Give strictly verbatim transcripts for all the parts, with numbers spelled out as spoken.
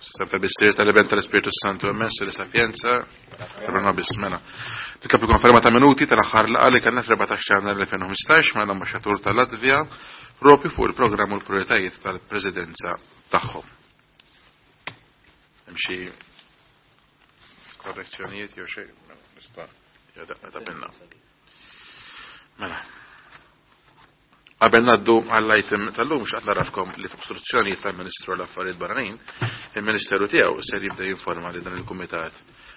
Sempre bis-sir tal-Iben tal-Ispirtu Santu, amen, li sapienza, nobis mela. Nitlob il-konferma ta' minuti tal-aħħar laqgħa li kellna fl-erbatax ta' Jannar elfejn u ħmistax mal-Ambaxxatur tal-Latvja propju fuq il-programm u l-prijoritajiet tal-Presidenza tagħhom. Hemm xi korrezzjonijiet jew xejn? Nista' ta' pinna. Mela. Qabel ngħaddu għall-item tal-lum, xtaqt ngħarrafkom li fuq istruzzjonijiet tal-Ministru għall-Affarijiet Barranin, il-Ministeru tiegħu ser jibda jinforma li dan il-Kumitat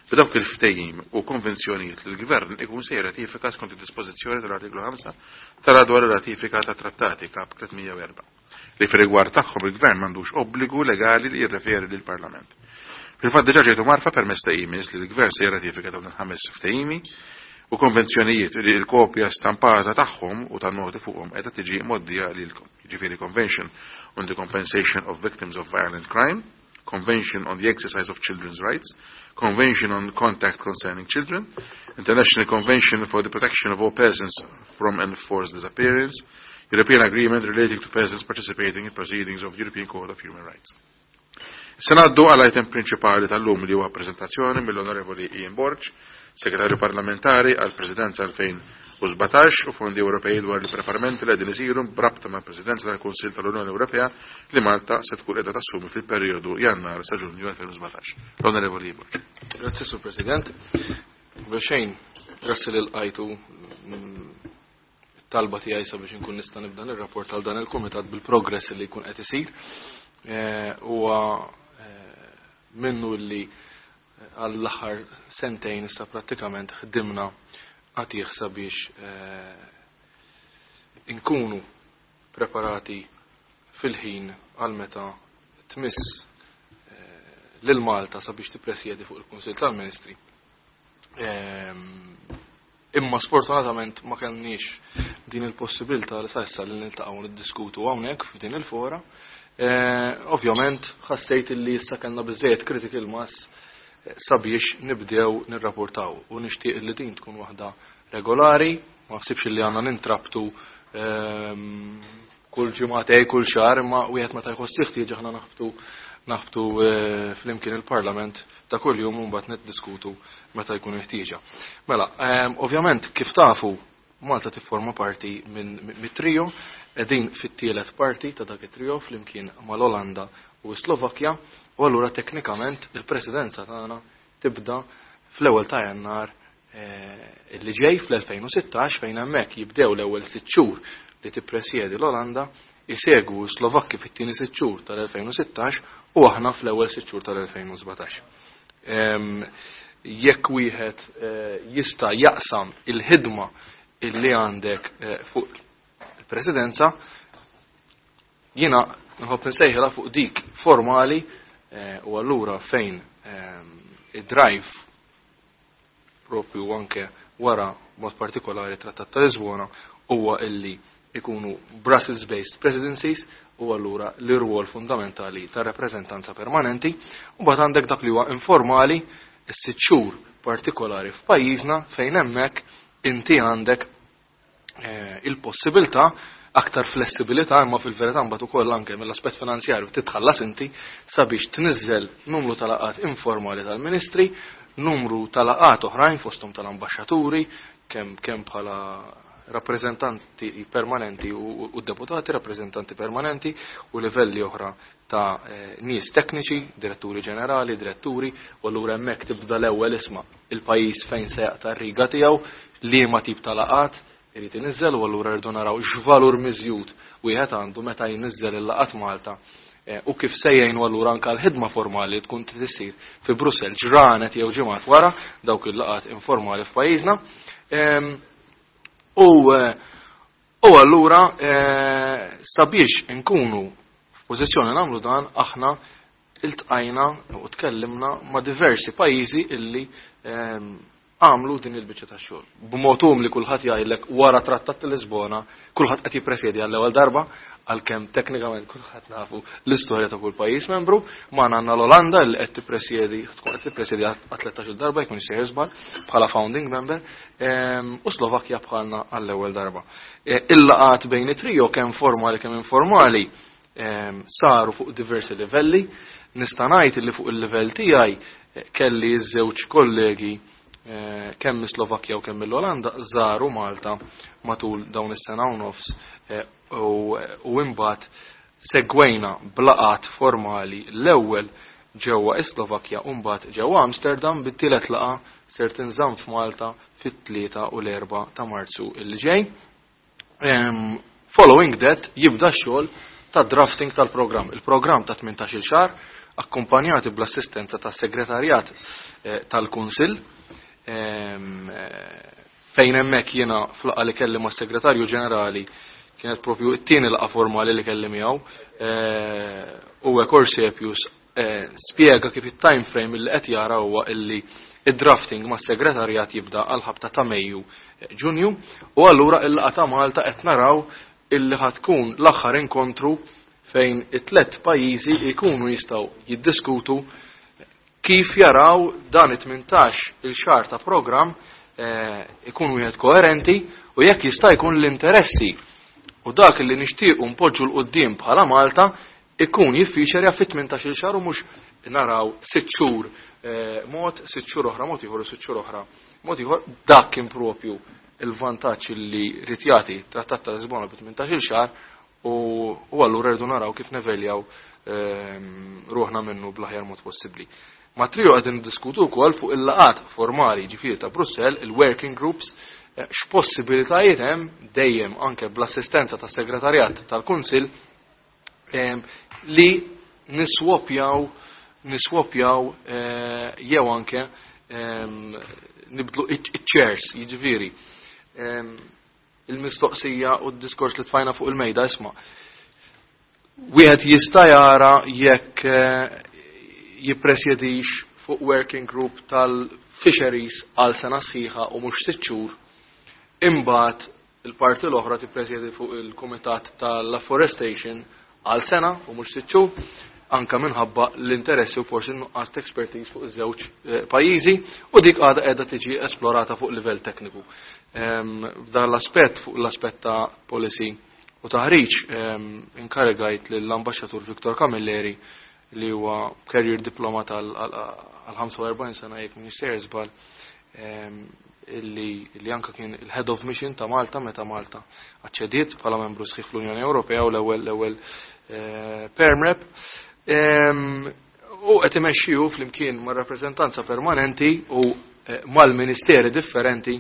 b'dawk il-ftehim u konvenzjonijiet li l-Gvern ikun se jirratifika skont id-dispożizzjoni tal-artiklu ħamsa tara dwar ir-ratifika ta' trattati kap tliet mija u erbgħa li fir-rigward tagħhom il-Gvern m'għandux obbligu legali li jirreferi lill-Parlament. Fil-fatt diġà ġejtu mgħarrfa permezz ta' emails li l-Gvern se jirratifika dawn il-ħames ftehimi u konvenzjonijiet li l-kopja stampata tagħhom u tan-noti fuqhom qiegħda tiġi mgħoddija lilkom. Jiġifieri Convention on the Compensation of Victims of Violent Crime, Convention on the Exercise of Children's Rights, Convention on Contact Concerning Children, International Convention for the Protection of All Persons from Enforced Disappearance, European Agreement relating to persons participating in proceedings of the European Court of Human Rights. Se ngħaddu għal item prinċipali tal-lum li huwa prezentazzjoni mill-Onorevoli Ian Borg, Segretarju Parlamentari għal Presidenza elfejn u sbatax u Fondi Ewropej, dwar il-preparamenti li qegħdin isiru b'rabta mal Presidenza tal-Kunsill tal-Unjoni Ewropea li Malta se tkun qiegħda tassumi fil-perjodu Jannar sa Ġunju elfejn u sbatax. L-Onorevoli Ian Borg. Grazzi, Sur President. Bexejn, grazzi li lqajtu talba tiegħi sabiex inkun nista' nibda nirrapport għal dan il-kumitat bil-progress li jkun qed isir. Eh, huwa eh, minnu li għall-aħħar sentejn issa prattikament ħdimna għatih sabiex eh, inkunu preparati fil-ħin għal meta tmiss lil Malta sabiex tippresjedi fuq il-Kunsill tal-Ministri. Ehm, imma sfortunatament ma kenniex din il-possibilità li sa issa li niltaqgħu niddiskutu hawnhekk f'din il-fora. Eh, ovvjament ħassejt li issa kellna biżejjed critical mass eh, sabiex nibdew nirrapportaw u nixtieq li din tkun waħda regolari, ma ħsibx li għandna nintrabtu ehm, kull ġimgħatej, kull xahar, imma wieħed meta jħoss ħtieġ aħna naħbtu naħbtu eh, flimkien il-Parlament ta' kull jum u mbagħad niddiskutu meta jkun ħtieġa. Mela, ehm, ovvjament kif tafu Malta tifforma parti minn mit-trio, qegħdin fit-tielet parti ta' dak it-trio flimkien mal-Olanda u Slovakkja, u allura teknikament il-presidenza tagħna tibda fl-ewwel ta' Jannar eh, li ġej fl-elfejn u sittax, fejn hemmhekk jibdew l-ewwel sitt xhur li tippresjedi l-Olanda, isegwu Slovakki fit-tieni sitt xhur tal-elfejn u sittax u aħna fl-ewwel sitt xhur tal-elfejn u sbatax. Jekk wieħed eh, jista' jaqsam il-ħidma illi għandek eh, fuq il-presidenza, jiena nħobb nsejħilha fuq dik formali eh, u allura fejn id-drive propju anke wara mod partikolari Trattat ta' Lisbona huwa illi ikunu Brussels-based presidencies u allura l-irwol fundamentali ta' rappreżentanza permanenti, u mbagħad għandek dak li huwa informali, is-sitt xhur partikolari f'pajjiżna, fejn hemmhekk inti għandek eh, il-possibilità aktar flessibilità, imma fil-verità mbagħad ukoll anke mill-aspett finanzjarju titħallas inti sabiex tniżżel numru ta' laqgħat informali tal-ministri, numru ta' laqgħat oħrajn fosthom tal-ambaxxaturi, kemm kemm bħala rappresentanti permanenti u, u deputati rappresentanti permanenti u livelli oħra ta' eh, nies tekniċi, diretturi ġenerali, diretturi, u allura hemmhekk tibda l-ewwel isma' il-pajjiż fejn se jaqta' r-riga tiegħu, liema tip ta' laqgħat irid iniżżel, u allura rridu naraw x'valur miżjud wieħed għandu meta jniżżel il-laqgħat Malta eh, u kif se jgħinu allura anke l-ħidma formali tkun tisir fi Brussell ġranet jew ġimgħat wara dawk il-laqgħat informali f'pajjiżna. U eh, u allura eh, sabiex nkunu f'pożizzjoni nagħmlu dan, aħna iltqajna u tkellimna ma' diversi pajjiżi illi għamlu din il-biċċa ta' xogħol. B'mod li kulħadd jgħidlek wara Trattat ta' Lisbona, kulħadd qed jippresjedi għall-ewwel darba, għalkemm teknikament kulħadd nafu l-istorja ta' kull pajjiż membru, ma għandna l-Olanda li qed tippresjedi, tkun qed tippresjedi għal tlettax-il darba jkun sejjer żball bħala founding member, u Slovakkja bħalna għall-ewwel darba. E, il-laqat bejn it-trio, kemm formali kemm informali, saru fuq diversi livelli. Nista' ngħid li fuq il-livell tiegħi kelli ż-żewġ kollegi kemm mis-Slovakkja u kemm mill-Olanda żaru Malta matul dawn is-sena u nofs u imbagħad segwejna b'laqgħat formali l-ewwel ġewwa is-Slovakkja u mbagħad ġewwa Amsterdam, bit-tielet laqgħa ser tinżamm f'Malta fit-tlieta u l-erba' ta' Marzu illi ġej. Following that jibda x-xogħol ta' drafting tal-programm. Il-programm ta' tmintax-il xahar akkumpanjati bl-assistenza tas-segretarjat tal-Kunsill, fejn hemmhekk jiena fl-laqgħa li kelli mas-Segretarju Ġenerali kienet propju t-tieni laqgħa formali li kelli miegħu, u Corsepius spjega kif it-time frame li qed jara huwa illi id-drafting mas-segretarjat jibda għal ħabta ta' Mejju Ġunju, u allura il-laqgħa ta' Malta qed naraw illi ħatkun l-aħħar inkontru fejn it-tlet pajjiżi jkunu jistgħu jiddiskutu kif jaraw dan it-tmintax il-xahar ta' programm ikun wieħed koerenti u jekk jista' jkun l-interessi u dak li nixtiequ npoġġu l quddiem bħala Malta ikun jiffiċerja fit-tmintax il xahar u mhux naraw sitt xhur mod, sitt xhur oħra mod ieħor u sitt xhur oħra mod ieħor. Dak kien propju il-vantaġġ li rid jagħti t-Trattat ta' Lisbona bi tmintax il xahar u allura rridu naraw kif neveljaw ruħna minnu bl-aħjar mod possibbli. Ma' trio qegħdin niddiskutu wkoll fuq il-laqat formali ġifieri ta' Brussell, il-working groups, x'possibilitajiet hemm dejjem anke bl-assistenza tas-segretarjat tal-Kunsill li niswopjaw niswopjaw jew anke nibdlu iċ-chairs, jiġifieri il-mistoqsija u d-diskors li tfajna fuq il-mejda isma'. Wieħed jista' jara jekk jippresjedix fuq working group tal-fisheries għal sena sħiħa u mhux sitt xhur, imbagħad il-parti l-oħra tippresjedi fuq il-kumitat tal-afforestation għal sena u mhux sitt xhur, anka minħabba l-interessi u forsi nuqqas ta' expertise fuq iż-żewġ pajjiżi, u dik għadha qiegħda tiġi esplorata fuq livell tekniku. F'dan l-aspett, fuq l-aspett ta' policy u taħriġ, inkarigajt lill-Ambaxxatur Viktor Camilleri li huwa career diplomat għal ħamsa u erbgħin sena jekk m'iniex sejjer żball, illi anka kien il-head of mission ta' Malta meta Malta aċċediet bħala membru sħiħ fl-Unjoni Ewropea u l-ewwel l-ewwel perm rep. U qed imexxiju flimkien mar-rappreżentanza permanenti u mal-ministeri differenti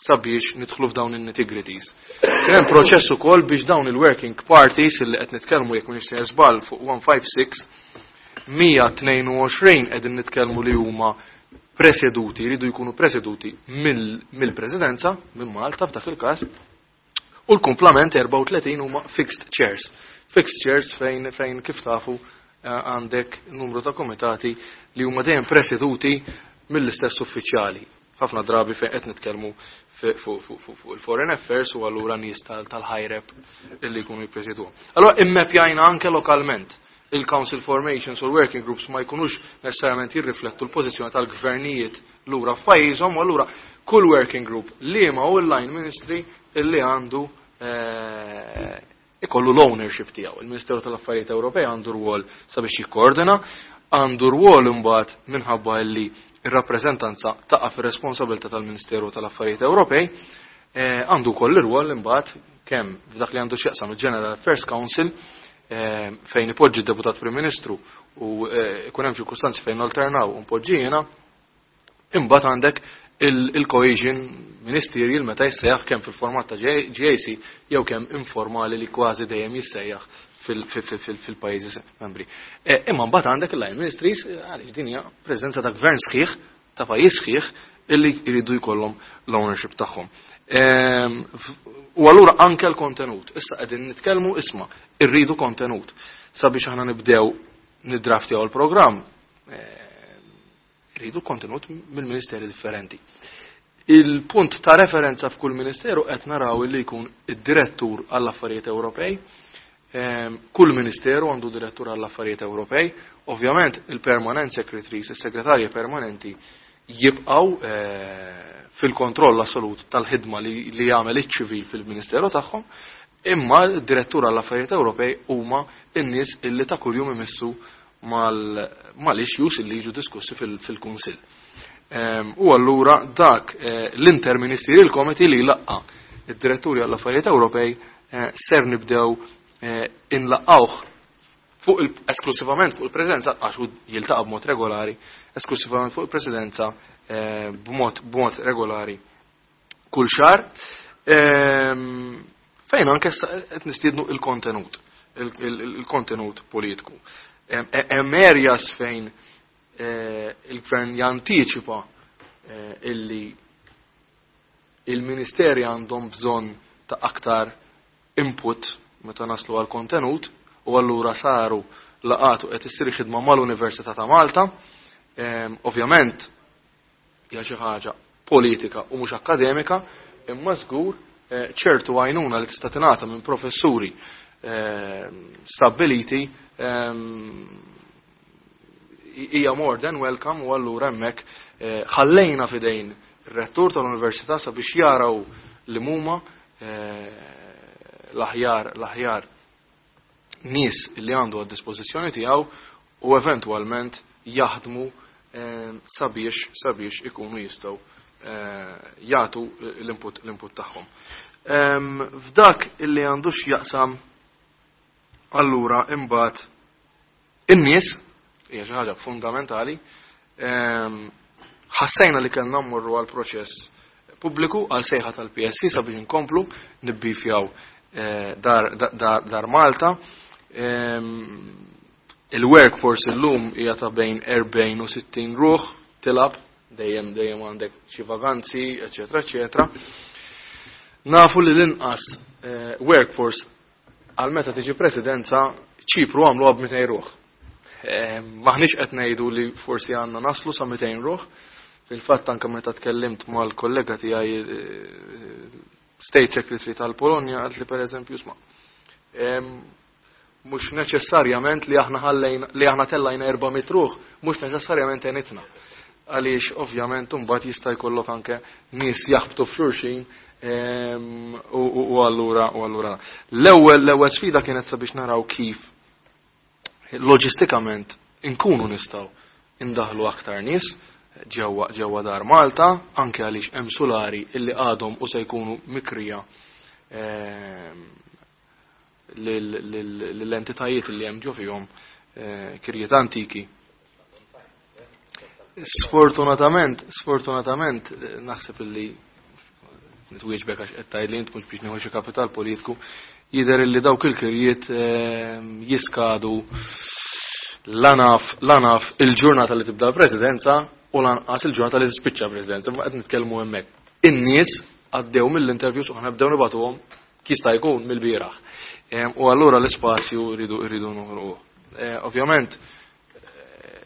sabiex nidħlu f'dawn in-nitty-gritties. Kien hemm proċess ukoll biex dawn il-working parties illi qed nitkellmu jekk m'iniex sejjer żball fuq one five six, mija tnejn u għoxrin qegħdin nitkellmu li huma preseduti, jridu jkunu preseduti mill-presidenza, minn Malta f'dak il-każ, u l-kumplament erbgħa u tletin huma fixed chairs. Fixed chairs fejn, fejn kif tafu għandek numru ta' komitati li huma dejjem preseduti mill-istess uffiċjali. Ħafna drabi fejn qed nitkellmu fuq il-foreign affairs u allura nies tal-high rep illi jkunu jippreseduhom. Allura immepjajna anke lokalment il-council formations u l-working groups ma jkunux necessarjament jirriflettu l-pożizzjoni tal-gvernijiet lura f'pajjiżhom, u allura kull working group li ma hu l-line ministry illi għandu ikollu l-ownership tiegħu. Il-Ministeru tal-Affarijiet Ewropej għandu rwol sabiex jikkoordina, għandu rwol imbagħad minħabba li ir-rappreżentanza taqa' fir-responsabilità tal-Ministeru tal-Affarijiet Ewropej, għandu wkoll ir-rwol imbagħad kemm f'dak li għandu x'jaqsam il-General Affairs Council, fejn ipoġġi d-Deputat Prim Ministru u ikun hemm ċirkustanzi fejn alternaw u npoġġi jiena, imbagħad għandek il-cohesion ministerial meta jissejjaħ kemm fil-format ta' G A C jew kemm informali li kważi dejjem jissejjaħ fil-pajjiżi membri. Imma mbagħad għandek il-line ministries, għaliex din hija preżenza ta' gvern sħiħ, ta' pajjiż sħiħ, illi jridu jkollhom l-ownership tagħhom. U allura anke l-kontenut. Issa qegħdin nitkellmu isma' irridu kontenut sabiex aħna nibdew niddraftjaw il-programm. Irridu kontenut mill-ministeri differenti. Il-punt ta' referenza f'kull ministeru qed naraw li jkun id-direttur għall-affarijiet Ewropej. Kull ministeru għandu direttur għall-affarijiet Ewropej. Ovvjament il-permanent secretaries, is-segretarji permanenti jibqgħu fil-kontroll assolut tal-ħidma li, li jagħmel iċ-ċivil fil-ministeru tagħhom, imma d-direttur għall-affarijiet Ewropej huma n-nies illi ta' kuljum imissu mal-issues li jiġu diskussi fil-Kunsill. U allura dak l-Interministerial Committee li laqqa id-diretturi għall-affarijiet Ewropej ser nibdew inlaqgħuh fuq esklusivament fuq il-presidenza, għax hu jiltaqa' b'mod regolari, esklusivament fuq il-presidenza b'mod b'mod regolari kull xahar, fejn anke qed nistiednu il-kontenut, il-kontenut politiku. Hemm areas fejn il-gvern jantiċipa illi il-ministeri għandhom bżonn ta' aktar input meta naslu għal kontenut, u allura saru laqatu qed issir ħidma mal-Università ta' Malta. Ovvjament hija xi ħaġa politika u mhux akademika, imma żgur ċertu għajnuna li tista' tingħata minn professuri stabbiliti hija more than welcome, u allura hemmhekk ħallejna f'idejn ir-rettur tal-Università sabiex jaraw li huma l-aħjar l-aħjar nies li għandu għad dispożizzjoni tiegħu u eventwalment jaħdmu sabiex sabiex ikunu jistgħu jagħtu l-input l-input tagħhom. F'dak illi għandux jaqsam allura imbagħad in-nies hija xi ħaġa fundamentali, ħassejna li kellna mmorru għal proċess pubbliku għal sejħa tal-P S C sabiex inkomplu nibbifjaw dar, dar, dar Malta. Il-workforce illum hija ta' bejn erbgħin u sittin ruħ, tilab dejjem dejjem għandek xi vaganzi, eċetera, eċetera. Nafu li l-inqas workforce għal meta tiġi presidenza Ċipru għamlu għab mitejn ruħ. Maħniex qed ngħidu li forsi għandna naslu sa mitejn ruħ. Fil-fatt anke meta tkellimt mal-kollega tiegħi State Secretary tal-Polonja qalt li pereżempju isma' mhux neċessarjament li aħna ħallejna li aħna tellajna erba' mitt ruħ, mhux neċessarjament għenitna. Għaliex ovvjament imbagħad jista' jkollok anke nies jaħbtu f'xulxin u allura u allura. L-ewwel l-ewwel sfida kienet sabiex naraw kif loġistikament inkunu nistgħu indaħlu aktar nies ġewwa ġewwa dar Malta, anke għaliex hemm sulari illi għadhom u se jkunu mikrija lill-entitajiet li hemm ġo fihom kirjiet antiki. Sfortunatament, sfortunatament naħseb illi nitwieġbek għax qed tgħidli int mhux biex nieħu xi kapital politiku, jidher illi dawk il-kirjiet jiskadu lanaf, lanaf il-ġurnata li tibda l-presidenza u lanqas il-ġurnata li tispiċċa l-presidenza, ma qed nitkellmu hemmhekk. In-nies għaddew mill-interviews u aħna bdew nibgħatuhom jista' jkun mill-bieraħ. U allura l-ispazju rridu rridu noħolquh. Ovvjament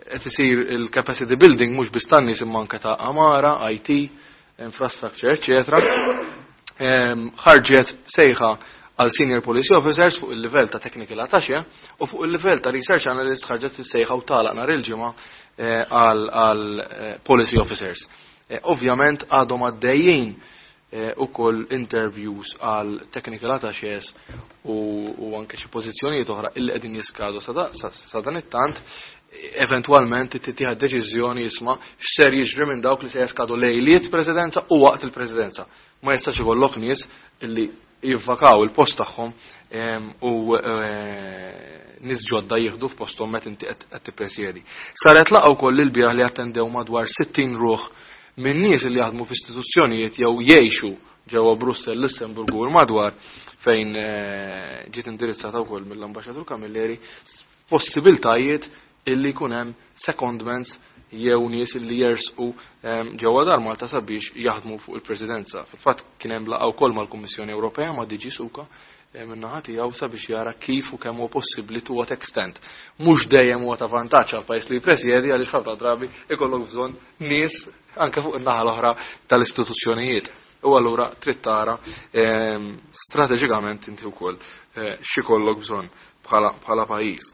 qed isir il-capacity building mhux biss tan-nies imma anke ta' amara, I T, infrastructure, eċetera. Ħarġet sejħa għal senior policy officers fuq il-livell ta' technical attaché u fuq il-livell ta' research analyst ħarġet sejħa u tagħlaq nhar il-ġimgħa għal policy officers. Ovvjament għadhom għaddejjin ukoll interviews għal technical attachés u anke xi pożizzjonijiet oħra illi qegħdin jiskadu sa dan it-tant, eventwalment tittieħed deċiżjoni jisma' x'ser jiġri minn dawk li se jaskadu lejliet presidenza u waqt il-presidenza. Ma jistax ikollok nies illi jivvakaw il-post tagħhom u nies ġodda jieħdu f'posthom meta inti qed tippresjedi. Saret laqgħa wkoll il-bieraħ li attendew madwar sittin ruħ minn nies li jaħdmu f'istituzzjonijiet jew jgħixu ġewwa Brussell, Lussemburgu u l-madwar, fejn ġiet indirizzata wkoll mill-Ambaxxatur Camilleri possibiltajiet illi jkun hemm secondments jew nies illi jersqu ġewwa dar Malta sabiex jaħdmu fuq il-Presidenza. Fil-fatt kien hemm laqgħa wkoll mal-Kummissjoni Ewropea ma' D G Suka min-naħa tiegħu sabiex jara kif u kemm huwa possibbli to what extent. Mhux dejjem huwa ta' vantaġġ għal pajjiż li jippresjedi għaliex ħafna drabi ikollok bżonn nies anke fuq in-naħa l-oħra tal-istituzzjonijiet. U allura trid tara strateġikament inti wkoll x'ikollok bżonn bħala pajjiż.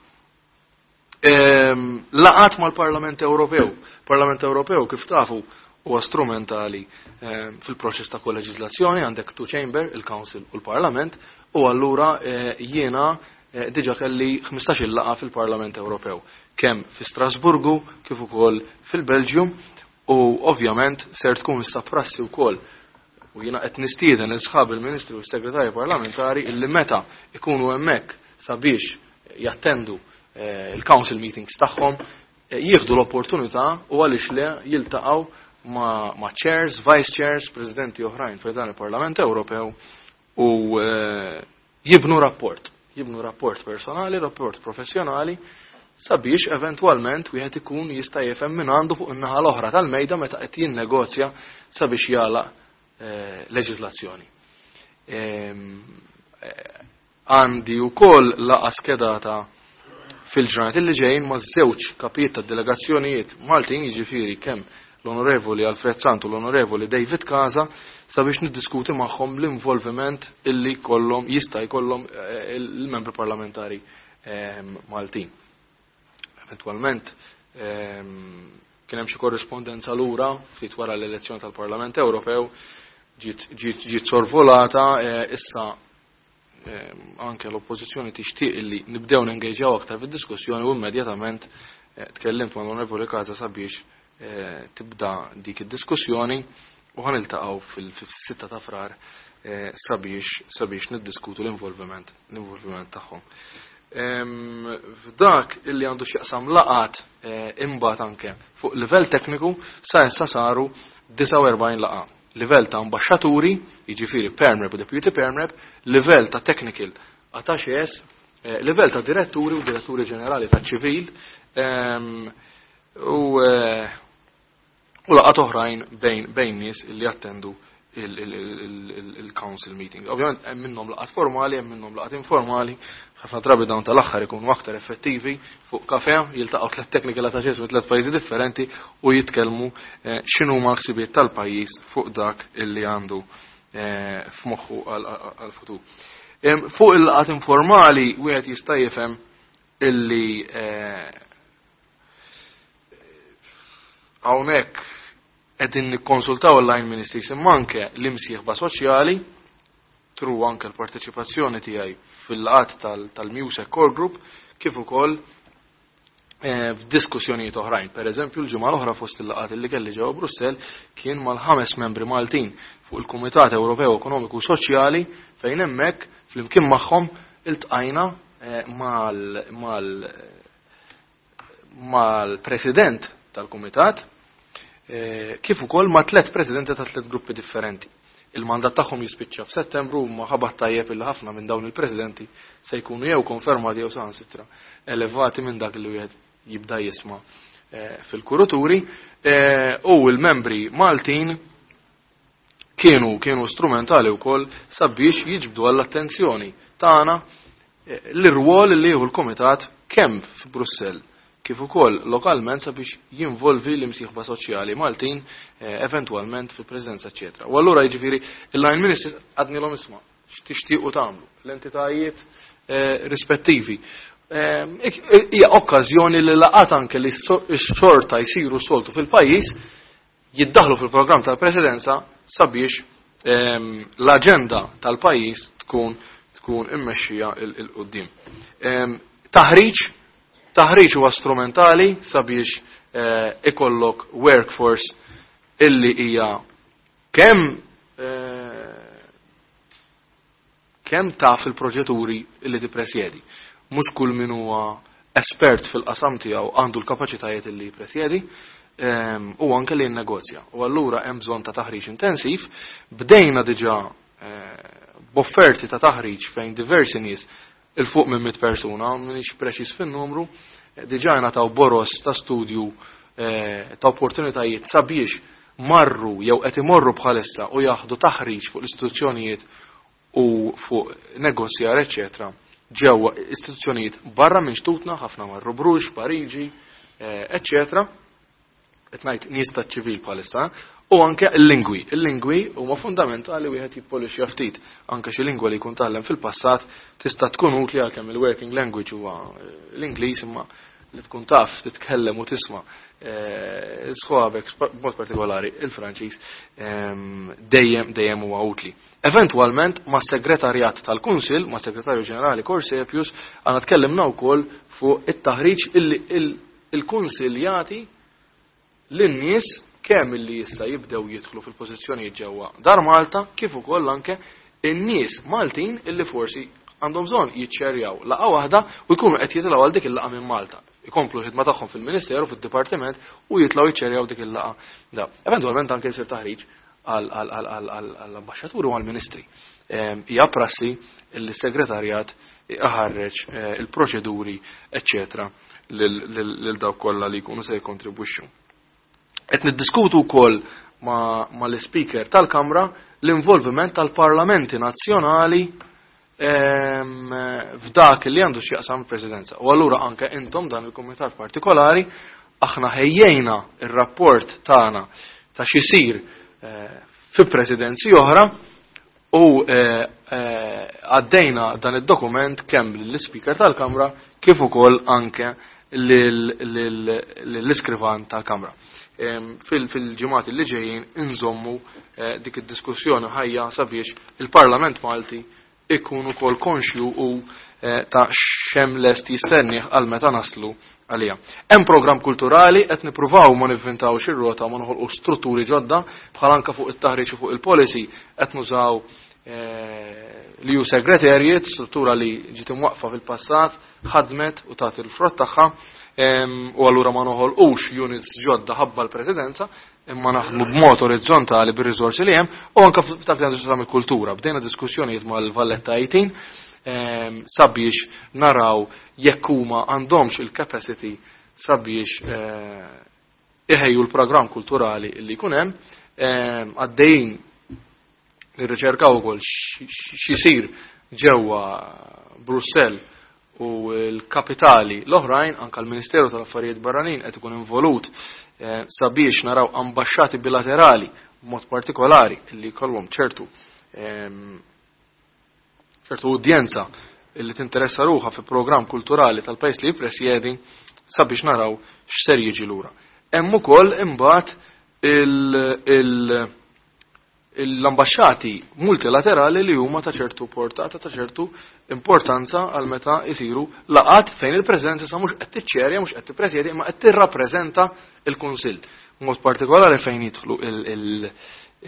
Laqat mal-Parlament Ewropew. Parlament Ewropew kif tafu huwa strumentali fil-proċess ta' koleġiżlazzjoni, għandek two chamber, il-Council u l-Parlament, u allura jiena diġà kelli ħmistax-il laqgħa fil-Parlament Ewropew, kemm fi Strasburgu kif ukoll fil-Belġium, u ovvjament ser tkun issa prassi wkoll, u jiena qed nistieden il sħab il-Ministri u s-Segretarji Parlamentari illi meta ikunu hemmhekk sabiex jattendu il-council meetings tagħhom, jieħdu l-opportunità u għaliex le jiltaqgħu ma', ma chairs, vice chairs, presidenti oħrajn fi dan il-Parlament Ewropew u jibnu rapport, jibnu rapport personali, rapport professjonali, sabiex eventwalment wieħed ikun jista' jifhem minn għandu fuq in-naħa l-oħra tal-mejda meta qed jinnegozja sabiex jagħlaq leġiżlazzjoni. Għandi wkoll laqgħa skedata fil-ġranet li ġejjin ma' żewġ kapijiet ta' delegazzjonijiet Maltin, jiġifieri kemm l-Onorevoli Alfred Sant u l-Onorevoli David Casa, sabiex niddiskuti magħhom l-involviment illi kollhom jista' jkollhom il-membri parlamentari Maltin. Eventwalment kien hemm xi korrispondenza lura ftit wara l-elezzjoni tal-Parlament Ewropew ġiet sorvolata, issa anke l-oppożizzjoni tixtieq illi nibdew nengeġġjaw aktar fid-diskussjoni u immedjatament tkellimt mal-Onorevoli Casa sabiex tibda dik id-diskussjoni u ħaniltaqgħu fil-sitta ta' Frar sabiex sabiex niddiskutu l-involviment l-involviment tagħhom. F'dak illi għandu x'jaqsam laqat imbagħad anke fuq livell tekniku sa issa saru disgħa u erbgħin laqgħa. Livell ta' ambaxxaturi, jiġifieri perm rep u deputy perm rep, livell ta' technical attachés, livell ta' diretturi u diretturi ġenerali ta' ċivil, u u laqgħat oħrajn bejn bejn nies illi jattendu il-council meeting. Ovvjament hemm minnhom laqgħat formali, hemm minnhom laqgħat informali, ħafna drabi dawn tal-aħħar ikunu aktar effettivi fuq kafe, jiltaqgħu tliet technical attachés minn tliet pajjiżi differenti u jitkellmu x'inhu huma l-ħsibijiet tal-pajjiż fuq dak illi għandu f'moħħu għall-futur. Fuq il-laqgħat informali wieħed jista' jifhem illi hawnhekk qegħdin nikkonsultaw il-line ministries imma anke l-imsieħba soċjali tru anke l-parteċipazzjoni tiegħi fil-laqgħat tal-MEUSAC Core Group kif ukoll f'diskussjonijiet oħrajn. Per eżempju, l-ġimgħa l-oħra fost il-laqgħat li kelli ġewwa Brussell kien mal-ħames membri Maltin fuq il-Kumitat Ewropew Ekonomiku Soċjali fejn hemmhekk flimkien magħhom iltqajna mal-president tal-Kumitat kif ukoll ma' tliet presidenti ta' tliet gruppi differenti. Il-mandat tagħhom jispiċċa f'Settembru u ma ħabat tajjeb illi ħafna minn dawn il-presidenti se jkunu jew konfermati jew saħansitra elevati minn dak li wieħed jibda jisma' fil-kuruturi, u l-membri Maltin kienu kienu strumentali wkoll sabiex jiġbdu għall-attenzjoni tagħna l-irwol li jieħu l-Kumitat kemm f'Brussell kif ukoll lokalment sabiex jinvolvi l-imsieħba soċjali Maltin eventwalment fil-preżenza, eċċetera. U allura jiġifieri il-line ministers għadnilhom isma' x'tixtiequ tagħmlu l-entitajiet rispettivi. Hija okkażjoni li laqat anke li x-xorta jsiru soltu fil-pajjiż jiddaħlu fil-programm tal-presidenza sabiex l-aġenda tal-pajjiż tkun tkun immexxija il quddiem. Taħriġ Taħriġ huwa strumentali sabiex ikollok workforce illi hija kemm kemm taf il-proġetturi illi tippresjedi. Mhux kull min huwa espert fil-qasam tiegħu għandu l-kapaċitajiet illi jippresjedi u anke li jinnegozja. U allura hemm bżonn ta' taħriġ intensiv. Bdejna diġà b'offerti ta' taħriġ fejn diversi nies il-fuq minn mitt persuna, m'iniex preċiż fin-numru, diġà ngħataw boros ta' studju ta' opportunitajiet sabiex marru jew qed imorru bħalissa u jaħdu taħriġ fuq l-istituzzjonijiet u fuq negozjar, eċċetera, ġewwa istituzzjonijiet barra minn xtutna, ħafna marru Bruges, Pariġi, eċċetera. Qed ngħid nies taċ-ċivil bħalissa, u anke l-lingwi. Il-lingwi huma fundamentali wieħed jippolixja ftit. Anke xi lingwa li jkun tgħallem fil-passat tista' tkun utli għalkemm il-working language huwa l-Ingliż, imma li tkun taf titkellem u tisma' sħabek b'mod partikolari il-Franċiż dejjem dejjem huwa utli. Eventwalment ma' segretarjat tal-Kunsill, ma' Segretarju Ġenerali Corsepius, għandna tkellimna wkoll fuq it-taħriġ illi il-Kunsill jagħti lin-nies kemm illi jista' jibdew jidħlu fil-pożizzjonijiet ġewwa Dar Malta kif ukoll anke in-nies Maltin illi forsi għandhom bżonn jiċċerjaw laqgħa waħda u jkunu qed jitilgħu għal dik il-laqgħa minn Malta. Ikomplu l-ħidma tagħhom fil-Ministeru, fid-Dipartiment u jitilgħu jiċċerjaw dik il-laqgħa. Da. Eventwalment anke jsir taħriġ għall-ambaxxaturi u għall-ministri. Hija prassi li s-segretarjat iħarreġ il-proċeduri, eċċetera, lil dawk kollha li jkunu se jikkontribwixxu. Qed niddiskutu wkoll ma' l-Speaker tal-Kamra l-involviment tal-parlamenti nazzjonali f'dak li għandu x'jaqsam il-Presidenza. U allura anke intom dan il-kumitat partikolari aħna ħejjejna ir-rapport tagħna ta' x'isir fi presidenzi oħra u għaddejna dan id-dokument kemm lill-Speaker tal-Kamra kif ukoll anke lill-iskrivan tal-Kamra. Fil-ġimgħat li ġejjin inżommu dik id-diskussjoni ħajja sabiex il-Parlament Malti ikun ukoll konxju u ta' xem lest jistennih għal meta naslu għalija. Hemm programm kulturali qed nippruvaw ma nivvintawx ir-rota ma noħolqu strutturi ġodda bħal anke fuq it-taħriġ u fuq il-policy qed nużaw li hu segretarjat, struttura li ġiet imwaqfa fil-passat, ħadmet u tagħti l-frott tagħha, u allura ma noħolqux units ġodda ħabba l-presidenza, imma naħdmu b'mod orizzontali bir-riżorsi li hemm u anke f'dak li għandu x'jaqsam il-kultura. Bdejna diskussjonijiet mal-Valletta eighteen sabiex naraw jekk huma għandhomx il-capacity sabiex iħejju l-programm kulturali li jkun hemm, għaddejjin nirriċerkaw ukoll x'isir ġewwa Brussell u l-kapitali l-oħrajn, anke l-Ministeru tal-Affarijiet Barranin qed ikun involut sabiex naraw ambaxxati bilaterali b'mod partikolari li jkollhom ċertu ċertu udjenza li tinteressa ruħha fi programm kulturali tal-pajjiż li jippresjedi sabiex naraw x'ser jiġi lura. Hemm ukoll imbagħad l-ambaxxati multilaterali li huma ta' ċertu portata, ta' ċertu importanza għal meta jsiru laqat fejn il-preżenza sa mhux qed tiċċerja, mhux qed tippresjedi, imma qed tirrappreżenta l-Kunsill. Mod partikolari fejn jidħlu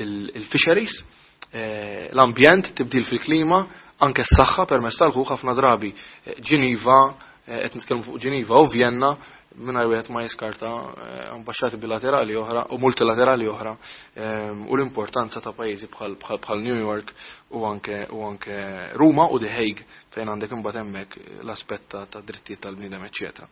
il-fisheries, l-ambjent, tibdil fil-klima, anke s-saħħa permezz tal-ħu ħafna drabi Ġiniva, qed nitkellmu fuq Ġiniva u Vienna, mingħajr wieħed ma jiskarta ambaxxati bilaterali oħra u multilaterali oħra u l-importanza ta' pajjiżi bħal New York u anke u anke Ruma u The Hague fejn għandek imbagħad hemmhekk l-aspett ta' drittijiet tal-bniedem, eċċetera.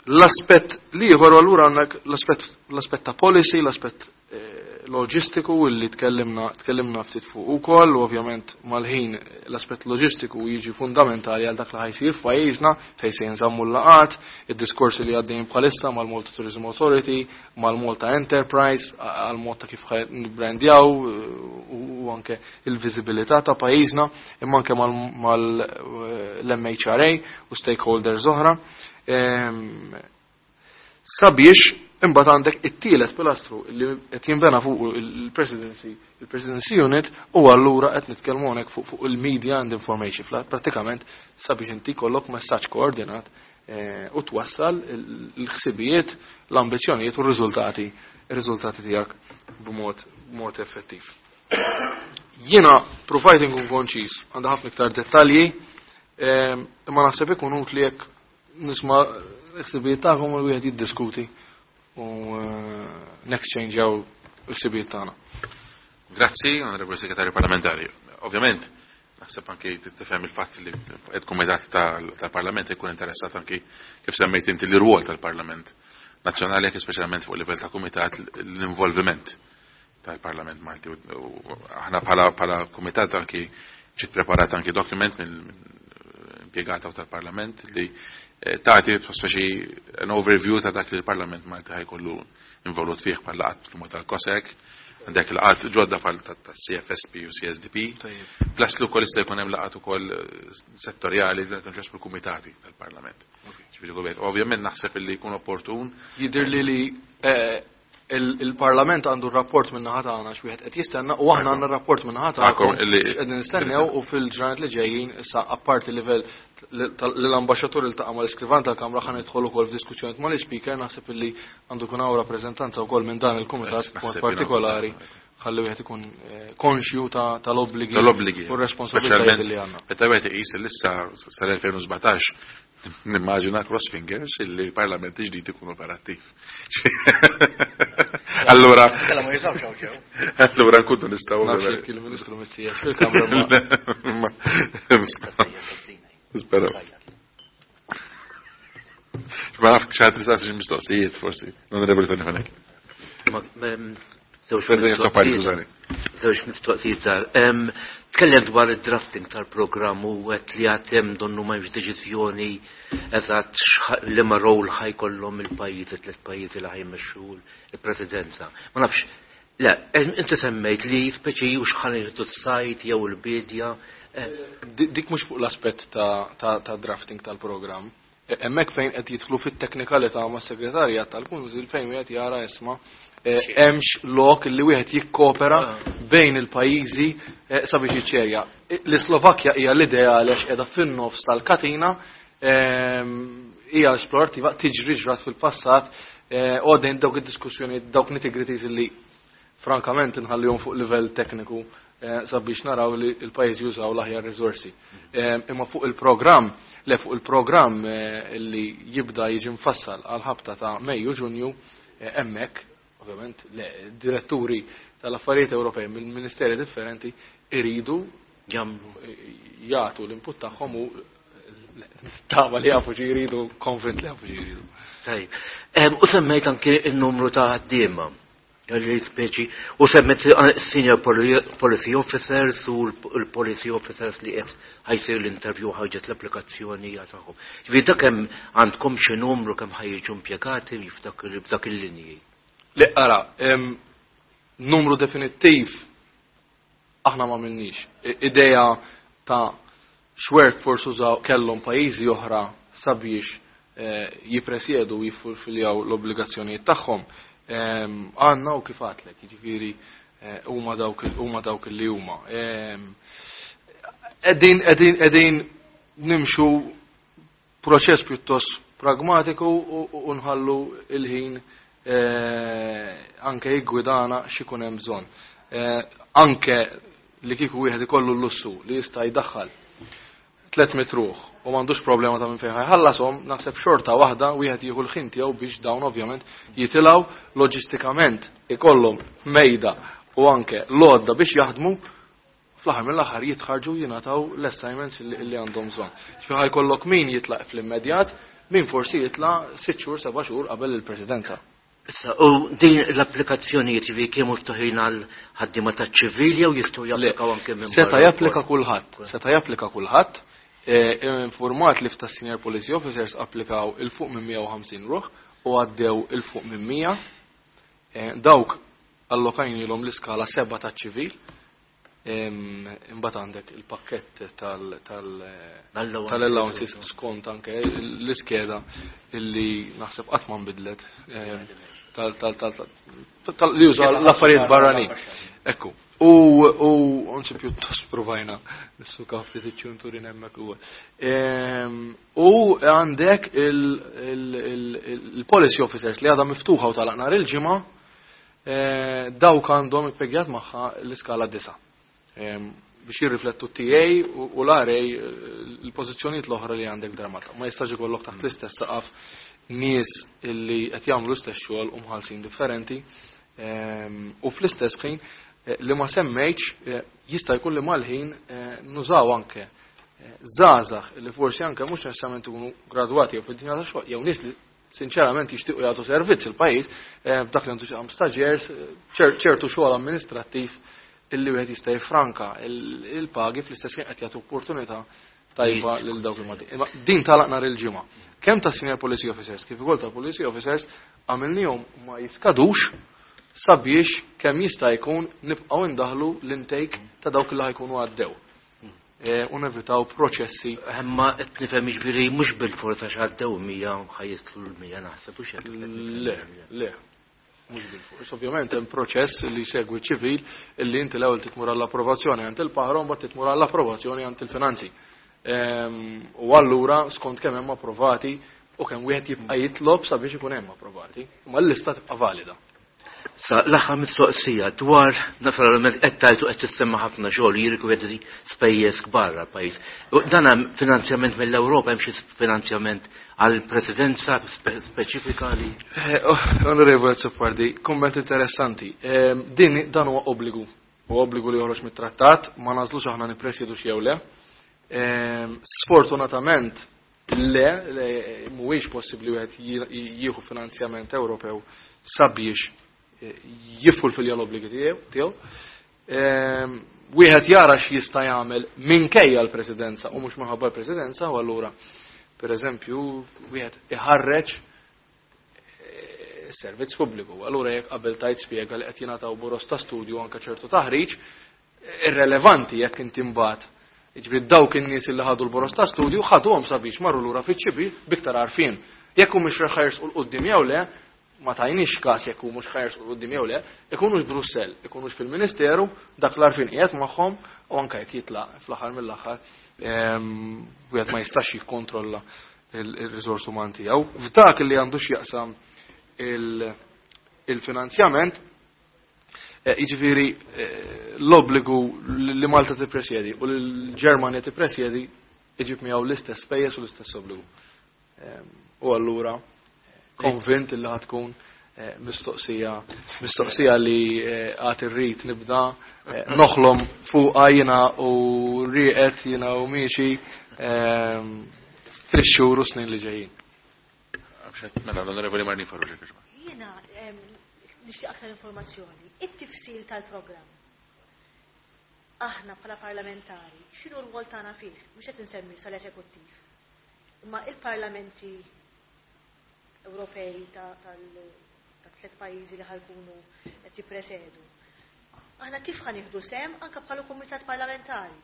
L-aspett l-ieħor allura għandek l-aspett ta' policy, l-aspett loġistiku li tkellimna tkellimna ftit fuq ukoll, u ovvjament mal-ħin l-aspett loġistiku jiġi fundamentali għal dak li ħajsir f'pajjiżna fejn se jinżammu l-laqat, id-diskorsi li għaddejjin bħalissa mal-Malta Tourism Authority, mal-Malta Enterprise, għal mod ta' kif nibbrandjaw u anke il-viżibilità ta' pajjiżna, imma anke mal-M H R A u stakeholders oħra. Sabiex imbagħad għandek it-tielet pilastru li qed jinbena fuq il-presidency, il-presidency unit, u allura qed nitkellmu hawnhekk fuq, fuq il-media and information, prattikament sabiex inti jkollok messaġġ koordinat, eh, u twassal l-ħsibijiet, l-ambizzjonijiet u r-riżultati, ir-riżultati tiegħek b'mod, b'mod effettiv. Jiena provajt inkun konċis, għandha ħafna iktar dettalji, eh, imma naħseb ikun utli jekk nisma' l-ħsibijiet tagħkom u wieħed jiddiskuti u next-change-jaw l-ħsibijiet tagħna. Grazzi, Onorevoli Segretarju Parlamentari. Ovvjament, naħseb anki tifhem il-fatt li il-Kumitat tal-Parlament ikun interessat anki kif semmejt inti l-rwol tal-Parlament Nazzjonali, anki speċjalment fuq livell ta' Kumitat l-involviment tal-Parlament Malti. U aħna bħala, bħala Kumitat anki ġiet preparat anki dokument mill-impjegata tal-Parlament li tagħti speċi an overview ta' dak li l-Parlament Malti ħajkollu involut fih bħala qatt huma tal-COSEC, Għandek laqgħat ġodda bħal ta' C F S P u C S D P. Plus li wkoll jista' jkun hemm laqgħat ukoll eh, settorjali li jkun ġest kumitati tal-Parlament. Ġifieri kull wieħed. Ovvjament naħseb illi jkun opportun. Jidir li li eh, il- il-Parlament għandu rapport minn naħa tagħna x'wieħed qed jistenna u aħna għandna rapport minn naħa Tagħkom tagħkom illi- x'qegħdin nistennew u fil-ġranet li ġejjin issa, apparti livell li l-ambaxxatur iltaqa' mal-iskrivan tal-Kamra, ħa nidħol ukoll f'diskussjoni mal-Ispeaker. Naħseb illi għandu jkun hawn rappreżentanza wkoll minn dan il-kumitat Naħseb b'mod jiena partikolari ħalli wieħed ikun eh, konxju ta' tal-obbligi tal-obbligi u r-responsabilitajiet li għandna. Meta wieħed iqis li issa sal-elfejn u sbatax, nimmaġina, cross fingers, illi l-Parlament ġdid ikun operattiv. Allura Kella ma jisawx hawn ġew. Allura nkunu nistgħu Nafx jekk il-Ministru Mizzi fil-Kamra ma Nisperaw. Ma nafx xi ħadd tistaqsi xi mistoqsijiet forsi. L-Onorevoli Tony Fenech. Żewġ President Azzopardi, skużani. Żewġ mistoqsijiet żgħar. Em, Tkellem dwar id-drafting tal-programm u għedt li għad hemm donnu ma hemmx deċiżjoni eżatt x'ħa- liema rol ħa jkollhom il-pajjiżi, tliet pajjiżi li ħa jmexxu il-presidenza. Ma nafx, le, em, inti semmejt li speċi u x'ħa jieħdu s-sajt jew il-bidja. eh, Di- Dik mhux fuq l-aspett ta', ta, ta' drafting tal-programm. E- Hemmhekk fejn qed jidħlu fit-teknikalità ma' segretarjat tal-Kunsil fejn wieħed jara isma' eh, hemmx lok li wieħed jikkopera bejn il-pajjiżi eh, sabiex jiċċerja. L-Slovakkja hija l-ideali għax qiegħda fin-nofs tal-katina, ehm, hija esplorattiva, tiġri, ġrat fil-passat, eh, u għaddejn dawk id-diskussjoni, dawk nitty-gritties li frankament nħallihom fuq livell tekniku eh, sabiex naraw li il-pajjiż jużaw l-aħjar riżorsi. Eh, Imma fuq il-programm, le, fuq il-programm eh, li jibda jiġi mfassal għal ħabta ta' Mejju, Ġunju, eh, hemmhekk, ovvjament, le, diretturi tal-affarijiet Ewropej mill-ministeri differenti iridu Jagħmlu. jagħtu l-input tagħhom u tama li jafu xi jridu, konvint li jafu xi jridu. Tajb. Em, U semmejt anke il-numru ta' ħaddiema li speċi, u semmejt senior poli- policy officers u l-policy officers li qed ħa jsir l-interview, ħarġet l-applikazzjoni tagħhom. Ġifieri dak hemm għandkom xi numru kemm ħa jiġu impjegati f'dak f'dak il-linji? Le, ara, em, numru definittiv aħna ma minniex. Ideja ta' x'workforce użaw kellhom pajjiżi oħra sabiex eh, jippresjedu u jiffulfiljaw l-obbligazzjonijiet tagħhom. Em, Għandna u kif għedtlek, jiġifieri eh, huma dawk huma dawk li huma. Em, Qegħdin qegħdin qegħdin nimxu proċess pjuttost pragmatiku u u nħallu il-ħin eh, anke jiggwidana x'ikun hemm bżonn. Eh, Anke li kieku wieħed ikollu l-lussu li jista' jdaħħal tliet mitt ruħ u m'għandux problema ta' minn fejn ħallasom, naħseb xorta waħda wieħed jieħu l-ħin tiegħu biex dawn ovvjament jitilgħu loġistikament, ikollhom mejda u anke l-għodda biex jaħdmu, fl-aħħar mill-aħħar jitħarġu, jingħataw l-assignments li li għandhom bżonn. Ġifieri ħa jkollok min jitlaq fl-immedjat, min forsi jitlaq sitt xhur, seba' xhur qabel il-presidenza. Issa, u din l-applikazzjonijiet ġifieri kienu miftuħin għal ħaddiema taċ-ċivili jew jistgħu japplikaw anke minn Seta' barra japplika wkoll? kulħadd, seta' japplika kulħadd. Eh, Informat li f'ta' senior policy officers applikaw 'il fuq minn mija u ħamsin ruħ u għaddew 'il fuq minn mija. Eh, Dawk allokajnilhom l-iskala seba ta' ċivil. Em, Imbagħad għandek il-pakkett tal- tal- L-allowances. tal-allowances skont anke l-iskeda illi naħseb qatt ma nbidlet em, tal- tal- tal- tal- tal- li jużaw l-affarijiet barranin. Ekku. U u anzi pjuttost provajna nissuka ftit iċ-ċunturin hemmhekk ukoll. Em, U għandek il-policy officers li għadha miftuħa u talaq nhar il-ġimgħa, eh, dawk għandhom ippegjat magħha l-iskala disa. Em, biex jirriflettu T A u u l-R A, il-pożizzjonijiet l-oħra li għandek dramata. Ma jistax ikollok taħt l-istess saqaf nies illi qed jagħmlu l-istess xogħol u mħallsin differenti. Em, U fl-istess ħin eh, li ma semmejtx, eh, jista' jkun li mal-ħin eh, nużaw anke eh, żgħażagħ li forsi anke mhux neċessarjament ikunu gradwati jew fid-dinja ta' xogħol jew nies li sinċerament jixtiequ jagħtu servizz il-pajjiż eh, f'dak li għandu x'jaqsam staġers, eh, ċer- ċertu xogħol amministrattiv illi wieħed jista' jiffranka il- il-pagi, fl-istess ħin qed jagħtu opportunità tajba lil dawk il-Maltin. Imma din talaq nhar il-ġimgħa. Kemm ta' senior policy officers kif ukoll ta' policy officers għamilnihom ma jiskadux sabiex kemm jista' jkun nibqgħu indaħlu l-intake ta' dawk li ħa jkunu għaddew. U nevitaw proċessi. Imma qed nifhem jiġifieri mhux bil-forza x'għaddew mija ħa jidħlu l-mija naħseb u x'hekk. Le, le. Mhux bil-fors. Ovvjament hemm proċess li jsegwi ċivil illi inti l-ewwel titmur għall-approvazzjoni għand il-PAHRO, mbagħad titmur għall-approvazzjoni għand il-finanzi. U allura skont kemm hemm approvati u kemm wieħed jibqa' jitlob sabiex ikun hemm approvati, imma l-lista tibqa' valida. Sa l-aħħar mistoqsija dwar naturalment qed tajtu qed tissemma ħafna xogħol jirrikjedi spejjeż kbar għall-pajjiż. Dan hemm finanzjament mill-Ewropa, hemm xi finanzjament għall-presidenza speċifika li? Onorevole Azzopardi, kumment interessanti. Din dan huwa obbligu. Huwa obbligu li joħroġ mit-trattat, ma nażlux aħna nippresjedu xi jew le. Sfortunatament le, mhuwiex possibbli wieħed jieħu finanzjament Ewropew sabiex jiffulfilja l-obbligi tiegħu. Wieħed jara x'jista' jagħmel minkejja l-presidenza u mhux minħabba l-presidenza, u allura pereżempju wieħed iħarreġ servizz pubbliku. Allura jekk qabel tajt spjega li qed jingħataw boros ta' studju anke ċertu taħriġ, irrelevanti jekk inti mbagħad. Jiġifieri dawk in-nies li ħadu l-boros ta' studju ħaduhom sabiex marru lura fiċ-ċibi biktar għarfien. Jekk hu mhux ħajersqu 'l quddiem jew le, ma tajniex każ jekk hu mhux ħajersqu 'l quddiem jew le, ikunux Brussell, ikunux fil-Ministeru, dak l-għarfien qiegħed magħhom u anke jekk jitlaq fl-aħħar mill-aħħar, wieħed ma jistax jikkontrolla il-riżors uman tiegħu. F'dak li għandu x'jaqsam il-finanzjament, jiġifieri l-obbligu li Malta tippresjedi u li l-Ġermanja tippresjedi iġib miegħu l-istess spejjeż u l-istess obbligu. U allura konvint li ħa tkun mistoqsija, mistoqsija li għad irrid nibda noħlom fuqha jiena u rieqed jiena u miexi fix-xhur u snin li ġejjin. Mela, l-Onorevoli Marlene Farrugia, kħiġba. Jiena nixtieq aktar informazzjoni. It-tifsil tal-programm. Aħna bħala parlamentari, x'inhu r-rwol tagħna fih? Mhux qed insemmi sal-eżekuttiv. Imma il-parlamenti Ewropej ta' tliet pajjiżi li ħa jkunu qed jippresedu. Aħna kif ħa nieħdu sehem anke bħala kumitat parlamentari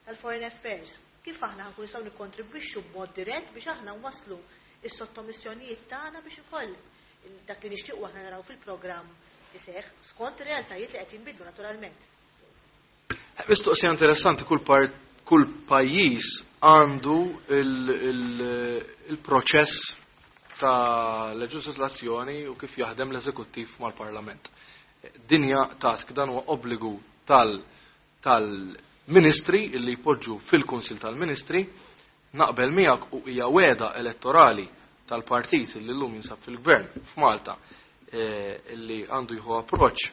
tal-Foreign Affairs? Kif aħna ħa nkunu nistgħu nikkontribwixxu b'mod dirett biex aħna nwasslu is-sottomissjonijiet tagħna biex ukoll dak li nixtiequ aħna naraw fil-programm iseħħ skont ir-realtajiet li qed jinbidlu naturalment. Mistoqsija interessanti, kull part, kull pajjiż għandu il-proċess ta' leġislazzjoni u kif jaħdem l-eżekuttiv mal-parlament. Dinja task, dan huwa obbligu tal-ministri illi jpoġġu fil-Kunsil tal-Ministri, naqbel miegħek u hija weda elettorali tal-partit li llum jinsab fil-gvern f'Malta illi għandu jieħu approċċ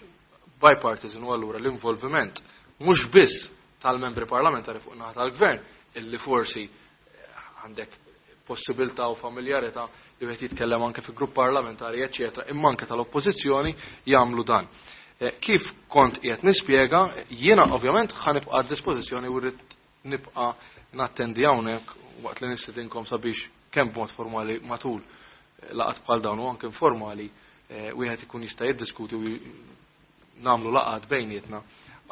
bipartisan u allura l-involviment mhux biss tal-membri parlamentari fuq naħa tal-gvern illi forsi għandek possibilità u familjarità li wieħed jitkellem anke fi grupp parlamentari eċċetera, imma anke tal-oppożizzjoni jagħmlu dan. Kif kont qiegħed nispjega, jiena ovvjament ħa nibqa' għad dispożizzjoni u rrid nibqa' nattendi hawnhekk waqt li nistedinkom sabiex kemm b'mod formali matul laqgħat bħal dawn u anke informali wieħed ikun jista' jiddiskuti u nagħmlu laqgħat bejnietna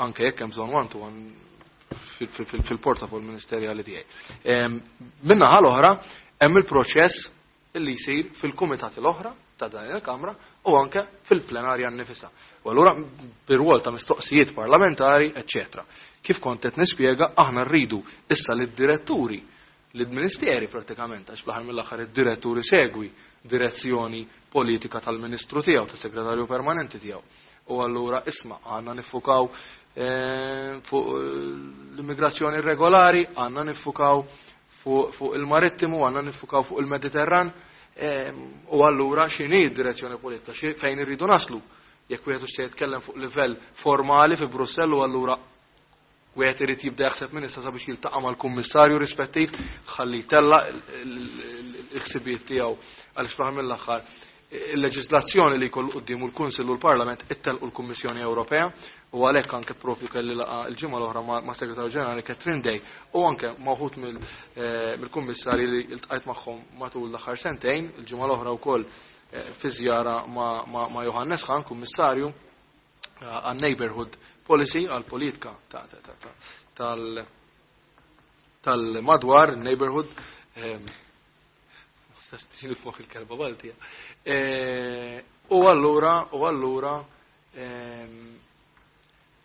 anke jekk hemm bżonn one to one fil-portafol ministerjali tiegħi. Min-naħa l-oħra hemm il-proċess illi jsir fil-kumitati l-oħra ta' dan il-Kamra u anke fil-plenarja nnifisha. U allura bir-rwol ta' mistoqsijiet parlamentari, eċċetera. Kif kont qed nispjega, aħna rridu issa lid-diretturi, lid-ministeri pratikament, għax fl-aħħar mill-aħħar id-diretturi segwi direzzjoni politika tal-ministru tiegħu, tas-segretarju permanenti tiegħu. U allura isma' għandna niffukaw fuq l-immigrazzjoni irregolari, għandna niffukaw fuq il-marittimu, għandna niffukaw fuq il-Mediterran, u allura x'inhi d-direzzjoni politika, fejn irridu naslu. Jekk wieħed se jitkellem fuq livell formali fi Brussell u allura wieħed irid jibda jaħseb minn issa sabiex jiltaqa' mal-kummissarju rispettiv ħalli jtella l-ħsibijiet tiegħu għaliex fl-aħħar mill-aħħar il-leġislazzjoni li jkollu quddiemu l-Kunsill u l-Parlament ittelqu l-Kummissjoni Ewropea u għalhekk anke propju kelli laqa l-ġimgħa l-oħra ma' Segretarju Ġenerali Catherine Day u anke ma' wħud mill-kummissarji li ltqajt magħhom matul l-aħħar sentejn, il-ġimgħa l-oħra wkoll fi żjara ma' Johannes Hahn, kummissarju, għal neighborhood policy, għal politika tal tal-madwar, neighborhood, fuq il-kelba Baltija. U allura, u allura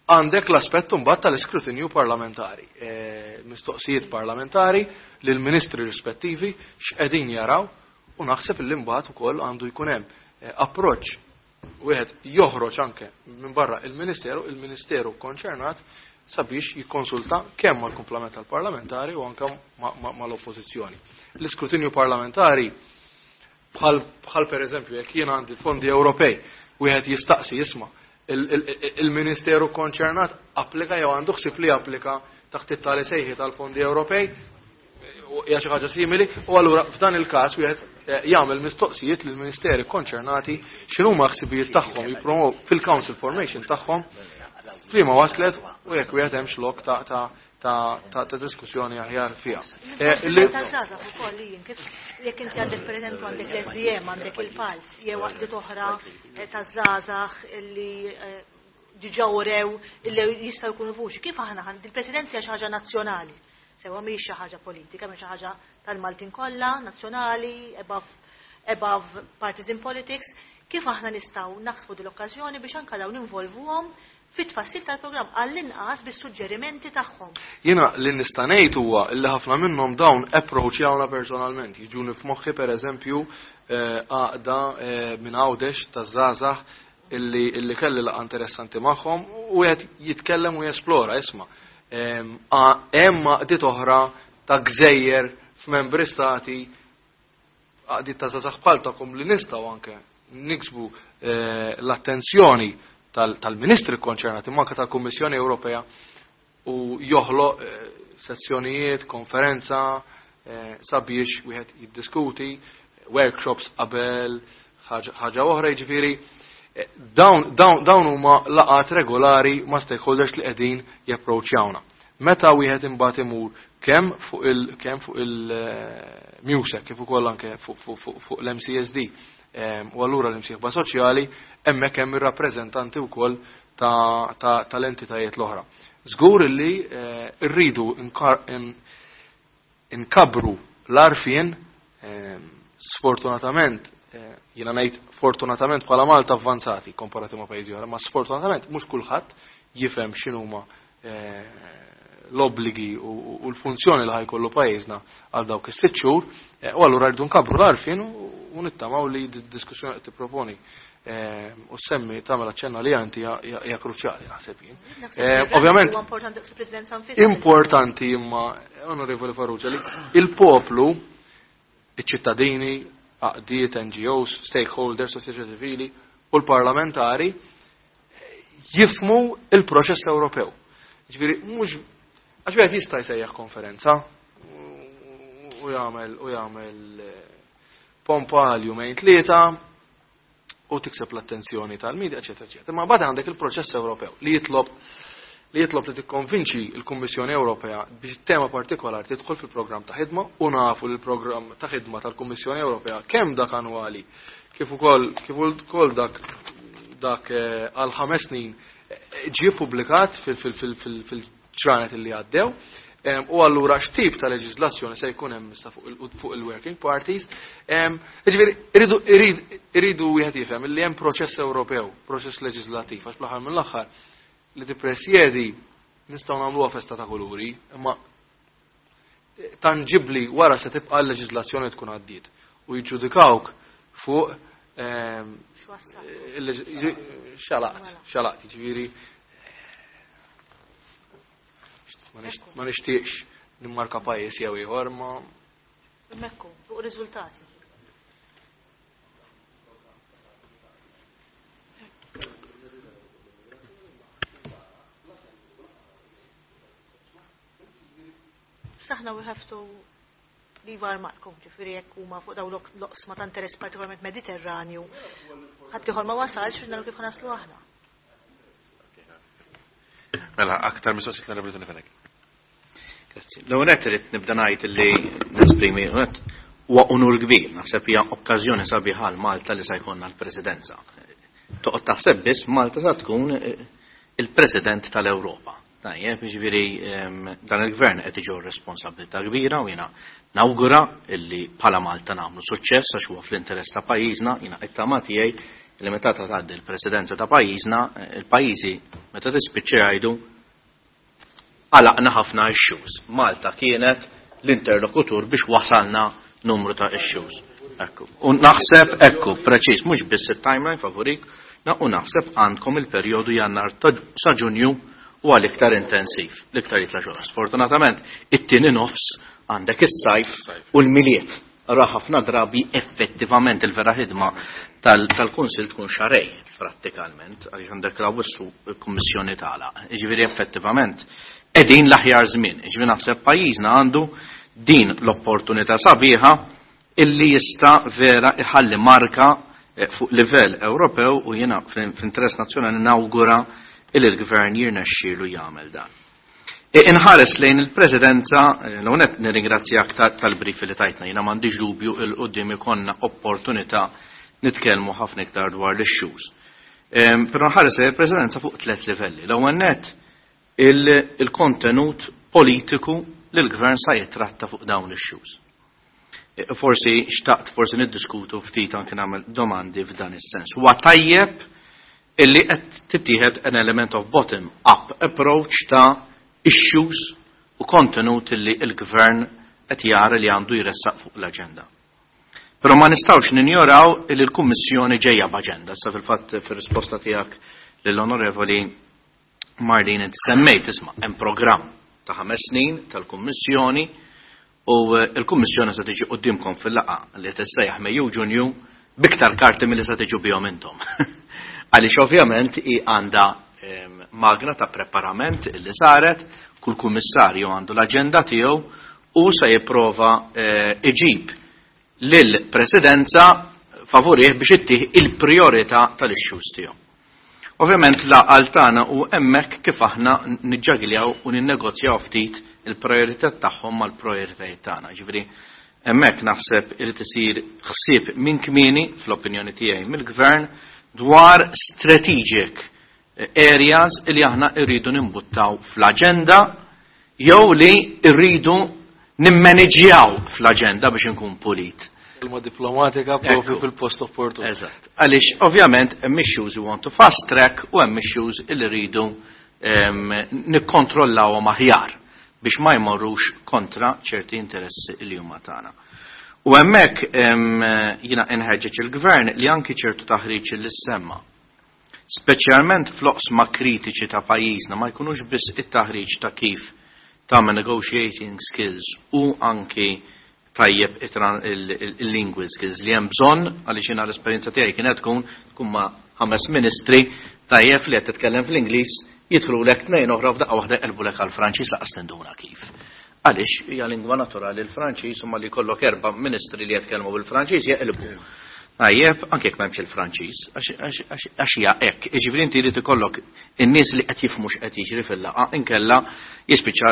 għandek l-aspett mbagħad tal-iskrutinju parlamentari, mistoqsijiet parlamentari lil ministri rispettivi x'qegħdin jaraw, u naħseb li mbagħad ukoll għandu jkun hemm approċċ wieħed joħroġ anke minn barra il-Ministeru, il-Ministeru konċernat sabiex jikkonsulta kemm mal-kumplament tal-parlamentari u anke mal-oppożizzjoni. L-iskrutinju parlamentari bħal bħal pereżempju jekk jien għandi fondi Ewropej, wieħed jistaqsi jisma' il-Ministeru konċernat applika jew għandu ħsieb li applika taħt it-tali sejħi tal-fondi Ewropej, hija xi ħaġa simili, u allura f'dan il-każ wieħed jagħmel mistoqsijiet lill-ministeri konċernati x'inhuma ħsibijiet tagħhom jippromow fil-council formation tagħhom prima waslet u jekk wieħed hemmx lok ta' ta' ta' ta' ta' diskussjoni aħjar fiha. Taż-żgħażagħ ukoll jien kif jekk inti għandek pereżempju għandek l-S D M, għandek il-PALS, jew għaqdiet oħra taż-żgħażagħ illi diġà urew illi jistgħu jkunu vuċi. Kif aħna il-presidenza xi ħaġa nazzjonali? Sewa mhix xi ħaġa politika, mhix xi ħaġa tal-Maltin kollha, nazzjonali, above, above partisan politics. Kif aħna nistgħu naħsbu din l-okkażjoni biex anke dawn involvuhom fit-tfassil tal-programm għall-inqas bis-suġġerimenti tagħhom? Jiena li nista' ngħid huwa li ħafna minnhom dawn approachjawna personalment. Jiġuni f'moħħi pereżempju għaqda minn Għawdex taż-żgħażagħ illi illi kelli laqgħa interessanti magħhom u qed jitkellem u jesplora isma'. Hemm għaqdiet oħra ta' gżejjer f'membri stati, għaqdiet ta' żgħażagħ bħal tagħkom li nistgħu anke niksbu l-attenzjoni tal-ministri konċernati, manka tal-Kummissjoni Ewropea, u joħloq sezzjonijiet, konferenza, sabiex wieħed jiddiskuti, workshops qabel, ħaġa oħra, jiġifieri dawn dawn huma laqgħat regolari ma' stakeholders li qegħdin japproċċjawna. Meta wieħed imbagħad imur kemm fuq il kemm fuq il-MEUSAC kif ukoll anke fuq l-M C S D u allura l-imsieħba soċjali, hemmhekk hemm ir-rappreżentanti wkoll tal-entitajiet l-oħra. Żgur li rridu nkabru l-għarfien. Sfortunatament, jiena ngħid fortunatament bħala Malta avvanzati komparati ma' pajjiżi oħra, ma sfortunatament mhux kulħadd jifhem x'inhuma l-obbligi u l-funzjoni li ħa jkollu pajjiżna għal dawk is-sitt xhur, u allura rridu nkabru l-għarfien u nittamaw li d-diskussjoni qed tipproponi u semmi tagħmel aċċenna li għanti hija kruċjali, naħseb jien. Ovvjament importanti imma, Onorevoli Farrugia, li il-poplu, iċ-ċittadini, għaqdiet, N G Os, stakeholders, soċjetà ċivili u l-parlamentari jifhmu il-proċess Ewropew. Ġifieri mhux għax wieħed jista' jsejjaħ konferenza u jagħmel u jagħmel pompa għal jumejn tlieta u tikseb l-attenzjoni tal-medja, eċetera, eċetera. Ma mbagħad għandek il-proċess Ewropew li jitlob li jitlob li tikkonvinċi l-Kummissjoni Ewropea biex tema partikolari tidħol fil-programm ta' ħidma, u nafu li l-programm ta' ħidma tal-Kummissjoni Ewropea, kemm dak annwali kif ukoll kif ukoll dak dak għal ħames snin, ġie publikat fil-ġranet li għaddew. U allura x'tip ta' leġislazzjoni se jkun hemm issa fuq il-working parties. Ġifieri iridu wieħed jifhem li hemm proċess Ewropew, proċess leġislattiv, għax bl-aħħar mill-aħħar li tippresjedi nistgħu nagħmluha festa ta' kuluri, imma tangibli wara se tibqa' l-leġislazzjoni tkun għaddiet u jiġġudikawk fuq xalaqt, xalaqt, ġifieri ma nixtieqx nimmarka pajjiż jew ieħor ma Mekku, fuq riżultati. Saħna we have to leave our mark, ġifieri jekk huma fuq dawn l-oqsma ta' interess partikolarment Mediterranju, ħadd ieħor ma wasalx, naraw kif naslu aħna. Mela, aktar mistoqsijiet l-Onorevoli Tony Fenech. Grazzi. L-ewwel nett irid nibda ngħid li nesprimi huwa unur kbir, naħseb hija okkażjoni sabiħa għal Malta li se jkollna l-Presidenza. Toqgħod taħseb biss Malta sa tkun il-President tal-Ewropa. Tajjeb, jiġifieri dan il-gvern qed iġorr responsabilità kbira u jiena nawgura illi bħala Malta nagħmlu suċċess għax huwa fl-interess ta' pajjiżna, jiena it-tama tiegħi li meta tgħaddi l-presidenza ta' pajjiżna, il-pajjiżi meta tispiċċa jgħidu għalaqna ħafna issues. Malta kienet l-interlokutur biex wasalna numru ta' issues. Ekku. U naħseb, ekku, preċiż, mhux biss it-timeline favorik, u naħseb għandkom il-perjodu Jannar sa Ġunju u għal iktar intensiv, l-iktar jitla xogħol. Sfortunatament, it-tieni nofs għandek is-sajf u l-Milied. Ra ħafna drabi effettivament il-vera ħidma tal-Kunsil tkun xarej prattikalment, għaliex għandek l-Awwissu l-Kummissjoni tagħlaq. Jiġifieri effettivament qegħdin l-aħjar żmien. Jiġifieri naħseb pajjiżna għandu din l-opportunità sabiħa illi jista' vera iħalli marka fuq livell Ewropew u jiena fl-interess nazzjonali nawgura illi l-gvern jirnexxielu jagħmel dan. Inħares lejn il-presidenza, l-għonet nirringrazzjak tal-brief li tajtna, jiena m'għandix dubju il qudiem ikonna opportunità nitkellmu ħafna iktar dwar l-issues. Però nħares lejn il-presidenza fuq tliet livelli. L-ewwel nett il-kontenut politiku li l-gvern sa jitratta fuq dawn l-issues. Forsi xtaqt forsi niddiskutu ftit anke nagħmel domandi f'dan is-sens. Huwa tajjeb illi qed tittieħed an element of bottom up approach ta' issues u kontenut illi l-gvern qed jara li għandu jressaq fuq l-aġenda. Però ma nistgħux ninjoraw illi l-Kummissjoni ġejja b'aġenda. Sa fil-fatt fir-risposta tiegħek lill-Onorevoli Marlene inti semmejt isma' hemm programm ta' ħames snin tal-Kummissjoni u l-Kummissjoni se tiġi quddiemkom fil-laqgħa li tissejjaħ Mejju Ġunju biktar karti milli se tiġu bihom intom. Għaliex ovvjament hi għandha magna ta' preparament illi saret, kull kummissarju għandu l-aġenda tiegħu u se jipprova iġib lill-presidenza favorih biex ittih il-priorità tal-issues tiegħu. Ovvjament l-għaqal tagħna u hemmhekk kif aħna niġġagljaw u ninnegozjaw ftit il-priorità tagħhom mal-prioritajiet tagħna. Ġifieri hemmhekk naħseb irid isir ħsieb minn kmieni fl-opinjoni tiegħi mill-gvern dwar strategic areas li aħna rridu nimbuttaw fl-aġenda jew li rridu nimmaneġġjaw fl-aġenda biex inkun pulit. Kelma diplomatika propju fil-post opportun. Eżatt. Għaliex ovvjament hemm issues we want to fast track u hemm issues li rridu nikkontrollawhom aħjar biex ma jmorrux kontra ċerti interessi li huma tagħna. U hemmhekk jiena inħeġġeġ il-gvern li anki ċertu taħriġ li semma. Speċjalment fl-oqsma kritiċi ta' pajjiżna ma jkunux biss it-taħriġ ta' kif tagħmel negotiating skills u anki tajjeb il-lingual skills li hemm bżonn għaliex jiena l-esperjenza tiegħi kienet tkun tkun ma' ħames ministri tajjeb li qed titkellem fl-Ingliż jidħlulek tnejn oħra f'daqqa waħda jqelbulek għall-Franċiż laqas tinduna kif. Għaliex hija lingwa naturali l-Franċiż imma li jkollok erba' ministri li jitkellmu bil-Franċiż jeqilbu. Tajjeb, anke jekk m'hemmx il-Franċiż, għax hija hekk. Jiġifieri inti jrid ikollok in-nies li qed jifhmu x'qed jiġri fil-laqgħa inkella jispiċċa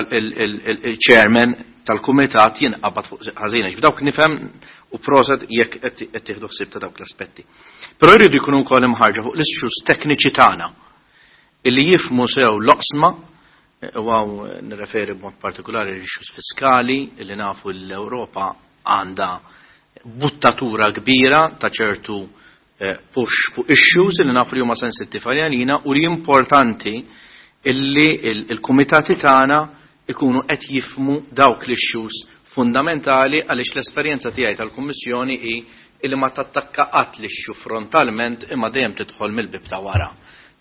il-chairman tal-kumitat jinqabad fuq ħażina. Ġifieri dawk nifhem u proset jekk qed tieħdu ħsieb ta' dawk l-aspetti. Però jridu jkunu wkoll imħarġa fuq l-issues tekniċi tagħna illi jifhmu sew l-oqsma u hawn nirreferi b'mod partikolari l-issues fiskali illi nafu l-Ewropa għandha buttatura kbira ta' ċertu push fuq issues illi nafu li huma sensittivi għalina u li importanti illi il-kumitati tagħna ikunu qed jifhmu dawk l-issues fundamentali għaliex l-esperjenza tiegħi tal-Kummissjoni hi illi ma tattakka qatt l-issue frontalment imma dejjem tidħol mill-bib ta' wara.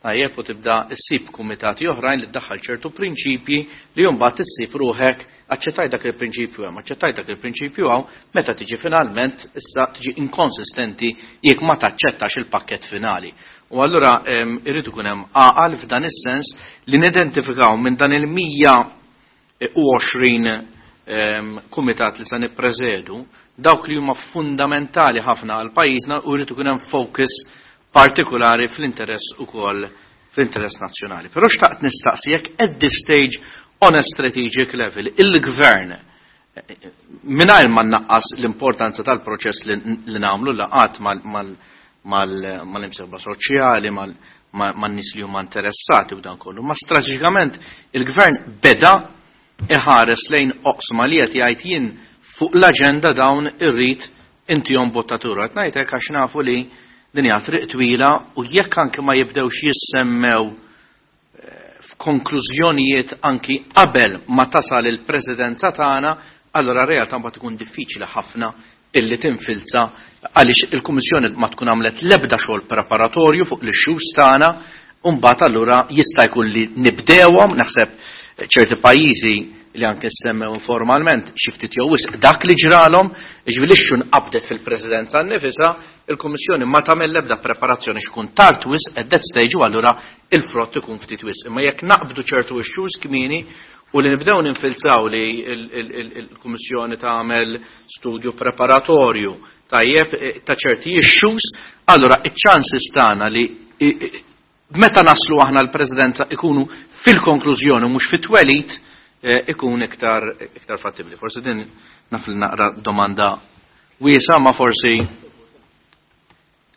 Tajjeb u tibda ssib kumitati oħrajn li ddaħħal ċertu prinċipji li mbagħad issib ruħek aċċettaj dak il-prinċipju hemm, aċċettaj dak il-prinċipju hawn, meta tiġi finalment issa tiġi inkonsistenti jekk ma taċċettax il-pakkett finali. U allura irrid ikun hemm għaqal f'dan is-sens li nidentifikaw minn dan il-mija u għoxrin kumitat li se nippreżedu dawk li huma fundamentali ħafna għal pajjiżna u jrid ikun hemm focus partikolari fl-interess ukoll fl-interess nazzjonali. Però xtaqt nistaqsi jekk at this stage on a strategic level il-gvern mingħajr ma nnaqqas l-importanza tal-proċess li nagħmlu laqgħat mal-imsieħba soċjali, man-nies li huma interessati u dan kollu. Ma strateġikament il-gvern beda iħares lejn oqsma li qed jgħid jien fuq l-aġenda dawn irrid intihom bottatura. Qed ngħidlek għax nafu li din hija triq twila u jekk anke ma jibdewx jissemmew f'konklużjonijiet anki qabel ma tasal il-presidenza tagħna, allora realtà mbagħad ikun diffiċli ħafna illi tinfilza għaliex il-Kummissjoni ma tkun għamlet l-ebda xogħol preparatorju fuq l-issues tagħna, u mbagħad allura jista' jkun li nibdewhom, naħseb ċerti pajjiżi li anke semmew formalment xi ftit jew wisq dak li ġralhom, jiġifieri l-issue nqabdet fil-presidenza nnifisha, il-Kummissjoni ma tagħmel l-ebda preparazzjoni x'kun tard wisq at that stage u allura il-frott ikun ftit wisq. Imma jekk naqbdu ċertu issues kmieni u li nibdew ninfilzaw li il-Kummissjoni tagħmel studju preparatorju tajjeb ta' ċerti issues, allura iċ-chances tagħna li meta naslu aħna l-Presidenza ikunu fil-konklużjoni mhux fit-twelid ikun iktar iktar fattibli. Forsi din naf li naqra domanda wiesa, ma forsi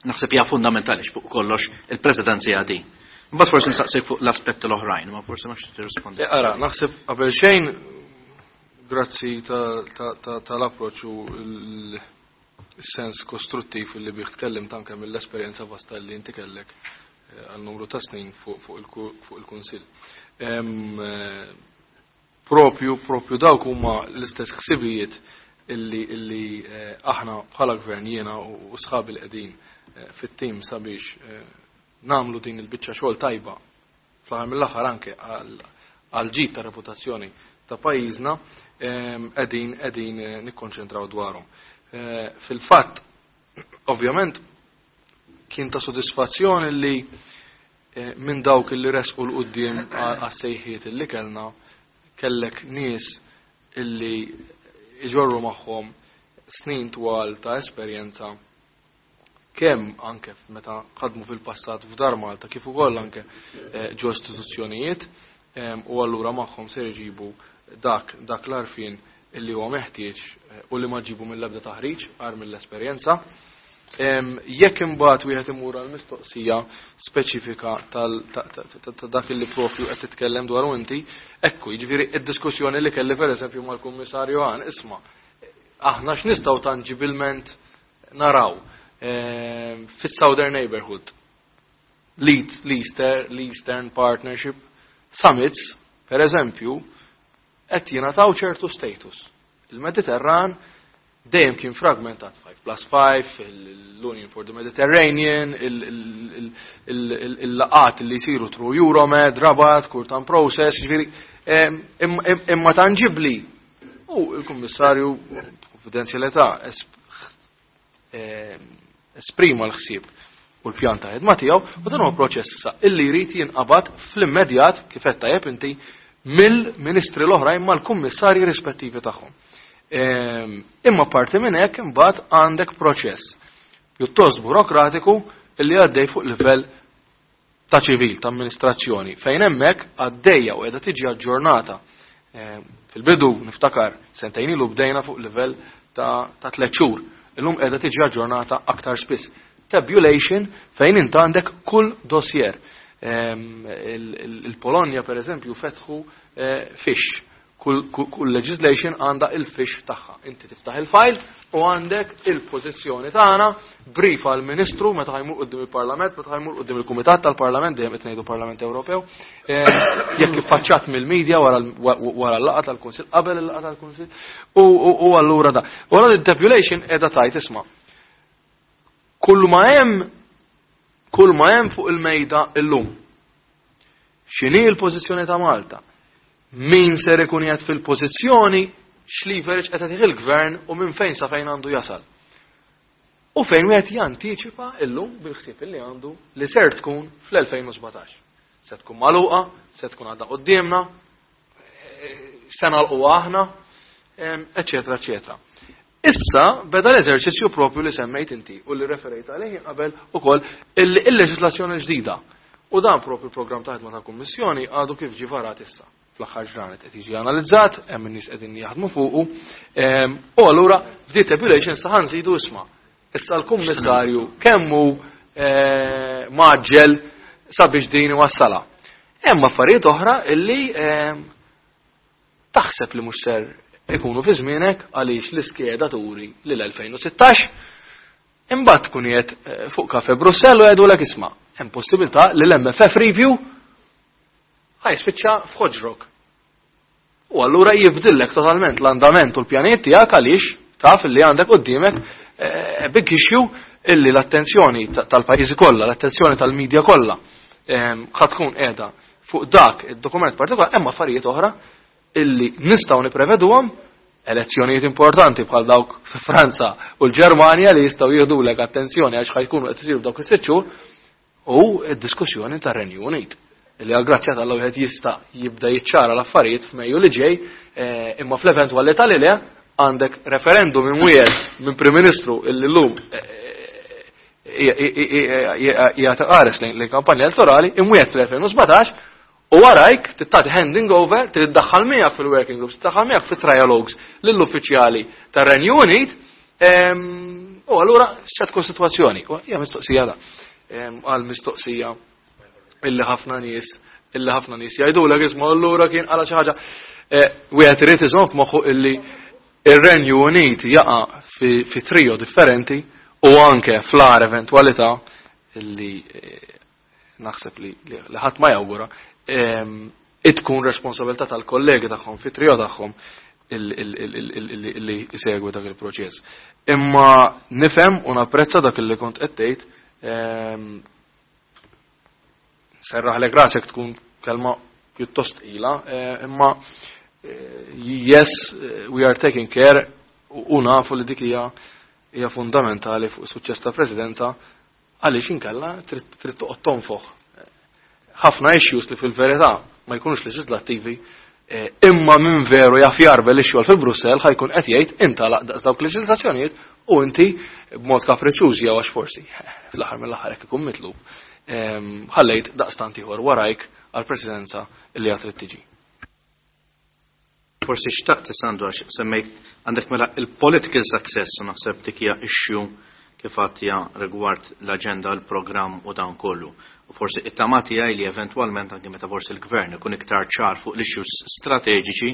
naħseb hija fundamentali fuq kollox il-Presidenza hija din. Mbagħad forsi nistaqsik fuq l-aspetti l-oħrajn, ma forsi ma tirrispondi. Ara, naħseb qabel xejn grazzi tal-approċċ u l-sens kostruttiv li bih tkellimt anke mill-esperjenza vasta li inti kellek għal numru ta' snin fuq il-Kunsill. Propju, propju dawk huma l-istess ħsibijiet illi, illi aħna bħala gvern jiena u sħabi li qegħdin fit-tim sabiex namlu din il-biċċa xogħol tajba fl-aħħar mill-aħħar anke għal ġid ta' reputazzjoni ta' pajjiżna qegħdin qegħdin nikkonċentraw dwarhom. Fil-fatt, ovvjament, kien ta' sodisfazzjoni li minn dawk illi resqu 'l quddiem għas-sejħiet illi kellna kellek nies illi iġorru magħhom snin twal ta' esperjenza kemm anke meta ħadmu fil-passat f'Dar Malta kif ukoll anke ġo istituzzjonijiet, u allura magħhom se jġibu dak dak l-arfin illi huwa meħtieġ u li ma ġibu mill-ebda taħriġ għar mill-esperjenza. Jekk imbagħad wieħed imur għal mistoqsija speċifika ta' dak li propju qed titkellem dwaru inti, ekku, jiġifieri id-diskussjoni li kelli pereżempju mal-Kummissarju Hahn, isma' aħna x'nistgħu tangibilment naraw fis-Southern Neighborhood, l-Eastern Partnership Summits, per eżempju, qed jingħataw ċertu status. Il-Mediterran dejjem kien fragmentat, five plus five, l-Union for the Mediterranean, il-laqat li jsiru through Euromed, Rabat, Kurtan Process, ġifieri, imma tangibli. U il-Kummissarju, konfidenzjalità, esprima l-ħsieb u l-pjan ta' ħidma tiegħu, u dan huwa proċess issa illi jrid jinqabad fl-immedjat, kif qed tajjeb inti, mill-ministri l-oħrajn mal-kummissarji rispettivi tagħhom. Imma parti minn hekk imbagħad għandek proċess pjuttost burokratiku illi għaddej fuq livell ta' ċivil, ta' amministrazzjoni, fejn hemmhekk għaddejja u qiegħda tiġi aġġornata. Fil-bidu niftakar sentejn ilu bdejna fuq livell ta' tliet xhur. Illum qiegħda tiġi aġġornata aktar spiss. Tabulation fejn int għandek kull dossier. Il-Polonja per eżempju fetħu fiche. Kull, kull legislation għandha il-fiche tagħha. Inti tiftaħ il-file u għandek il-pożizzjoni tagħna, brief għal ministru meta ħajmur quddiem il-Parlament, meta ħajmur quddiem il-Kumitat tal-Parlament, dejjem qed ngħidu Parlament Ewropew, jekk iffaċċat mill-medja wara l-laqgħa tal-Kunsill, qabel il-laqgħa tal-Kunsill, u allura da. U allura il-tabulation qiegħda tajt isma'. Kull ma hemm, kull ma hemm fuq il-mejda illum. X'inhi l-pożizzjoni ta' Malta? Min ser ikun qiegħed fil-pożizzjoni, x'leverage qed jagħtih il-gvern u minn fejn sa fejn għandu jasal. U fejn wieħed jantiċipa illum bil-ħsieb li għandu li ser tkun fl-elfejn u sbatax. Se tkun magħluqa, se tkun għadha quddiemna, se nagħlquha aħna, eċetera, eċetera. Issa beda l-eżerċizzju propju li semmejt inti u li referejt għalih qabel ukoll il-leġislazzjoni ġdida. U dan propju l-programm ta' ħidma tal-Kummissjoni għadu kif ġie varat issa. Fl-aħħar ġranet qed jiġi analizzat, hemm in-nies qegħdin jaħdmu fuqu, u allura f'di tabulation sa ħanżidu isma'. Issa l-Kummissarju kemm hu mgħaġġel sabiex din iwassalha. Hemm affarijiet oħra illi taħseb li mhux ser ikunu fi żmienek għaliex l-iskeda turi lil elfejn u sittax, imbagħad tkun qiegħed fuq Kafe Brussell u jgħidulek isma' hemm possibilità li l-M F F review ħajspiċċa f'ħoġrok. U allura jibdillek totalment l-andament u l-pjanijiet tiegħek għaliex taf li għandek quddiemek big issue illi l-attenzjoni tal-pajjiżi kollha, l-attenzjoni tal-medja kollha ħa tkun qiegħda fuq dak id-dokument partikolari, hemm affarijiet oħra illi nistgħu nippreveduhom, elezzjonijiet importanti bħal dawk fi Franza u l-Ġermanja li jistgħu jieħdulek attenzjoni għax ħajkunu qed isiru f'dawk is-sitt xhur, u d-diskussjoni tar-Renju Unit li għal grazzja tal-Alla wieħed jista' jibda jiċċara l-affarijiet f'Mejju li ġej, imma fl-eventwalità li le għandek referendum imwiegħed minn Prim Ministru illi llum hija tqares lejn kampanja elettorali imwiegħed fl-elfejn u sbatax, u warajk tittati handing over, tiddaħħal miegħek fil-working groups, tiddaħħal miegħek fit-trialogues lill-uffiċjali tar-Renju Unit, u allura x'se tkun sitwazzjoni? U hija mistoqsija da, għal mistoqsija illi ħafna nies, illi ħafna nies jgħidulek isma' allura kien qala xi ħaġa. Wieħed irid iżomm f'moħħu illi ir-Renju Unit jaqa' fi, fi trio differenti u anke fl-agħar eventwalità illi naħseb li, li ħadd ma jawgura, tkun responsabilità tal-kollegi tagħhom fi trio tagħhom illi jsegwu dak il-proċess. Imma nifhem u napprezza dak illi kont qed tgħid, serraħlek rasek tkun kelma pjuttost tqila, imma yes, we are taking care u nafu li dik hija, hija fundamentali fuq suċċess ta' presidenza għaliex inkella trid, trid toqgħod tonfoħ ħafna issues li fil-verità ma jkunux leġislattivi, imma minn veru jaf jarbel ix-xogħol fi Brussell ħajkun qed jgħid inta laqdaqs dawk leġislazzjonijiet u inti b'mod kapriċjuż jew għax forsi fl-aħħar mill-aħħar hekk ikun mitlub, ħallejt daqstant ieħor warajk għall-presidenza li għad trid tiġi. Forsi xtaqt Sandro għax semmejt għandek mela il-political success u naħseb dik hija issue kif għattija rigward l-aġenda, l-programm u dan kollu. U forsi it-tama tiegħi li eventwalment anke meta forsi l-gvern ikun iktar ċar fuq l-issues strateġiċi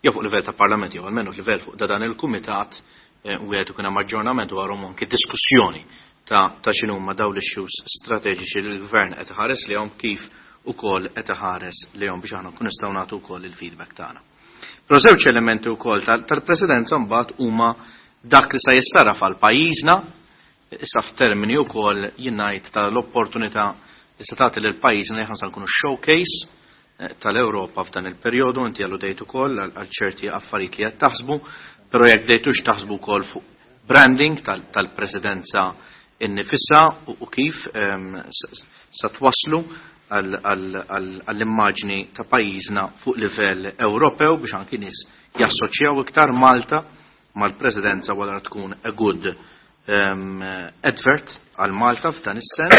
jew fuq livell ta' parlament jew almenu livell fuq da dan il-kumitat, eh, u wieħed ikun hemm aġġornament dwarhom anke diskussjoni ta', ta' x'inhuma dawn l-issues strateġiċi li l-gvern qed iħares lejhom kif ukoll qed iħares lejhom biex aħna nkun nistgħu nagħtu wkoll il-feedback tagħna. Però żewġ elementi wkoll tal-, tal-presidenza mbagħad huma dak li se jissarraf għal pajjiżna, issa f'termini wkoll jien ngħid tal-opportunità li se tagħti lil pajjiżna li aħna se nkunu showcase, eh, tal-Ewropa f'dan il-perjodu, inti alludejt ukoll għal, għal ċerti affarijiet li qed taħsbu, però jekk bdejtux taħsbu wkoll fuq branding tal-, tal-presidenza innifisha u, u kif, ehm, s-, sa twaslu għal, għal, għal, għall-immaġni ta' pajjiżna fuq livell Ewropew biex anki nies jassoċjaw iktar Malta mal-presidenza wara tkun a good, ehm, advert għal Malta f'dan is-sens,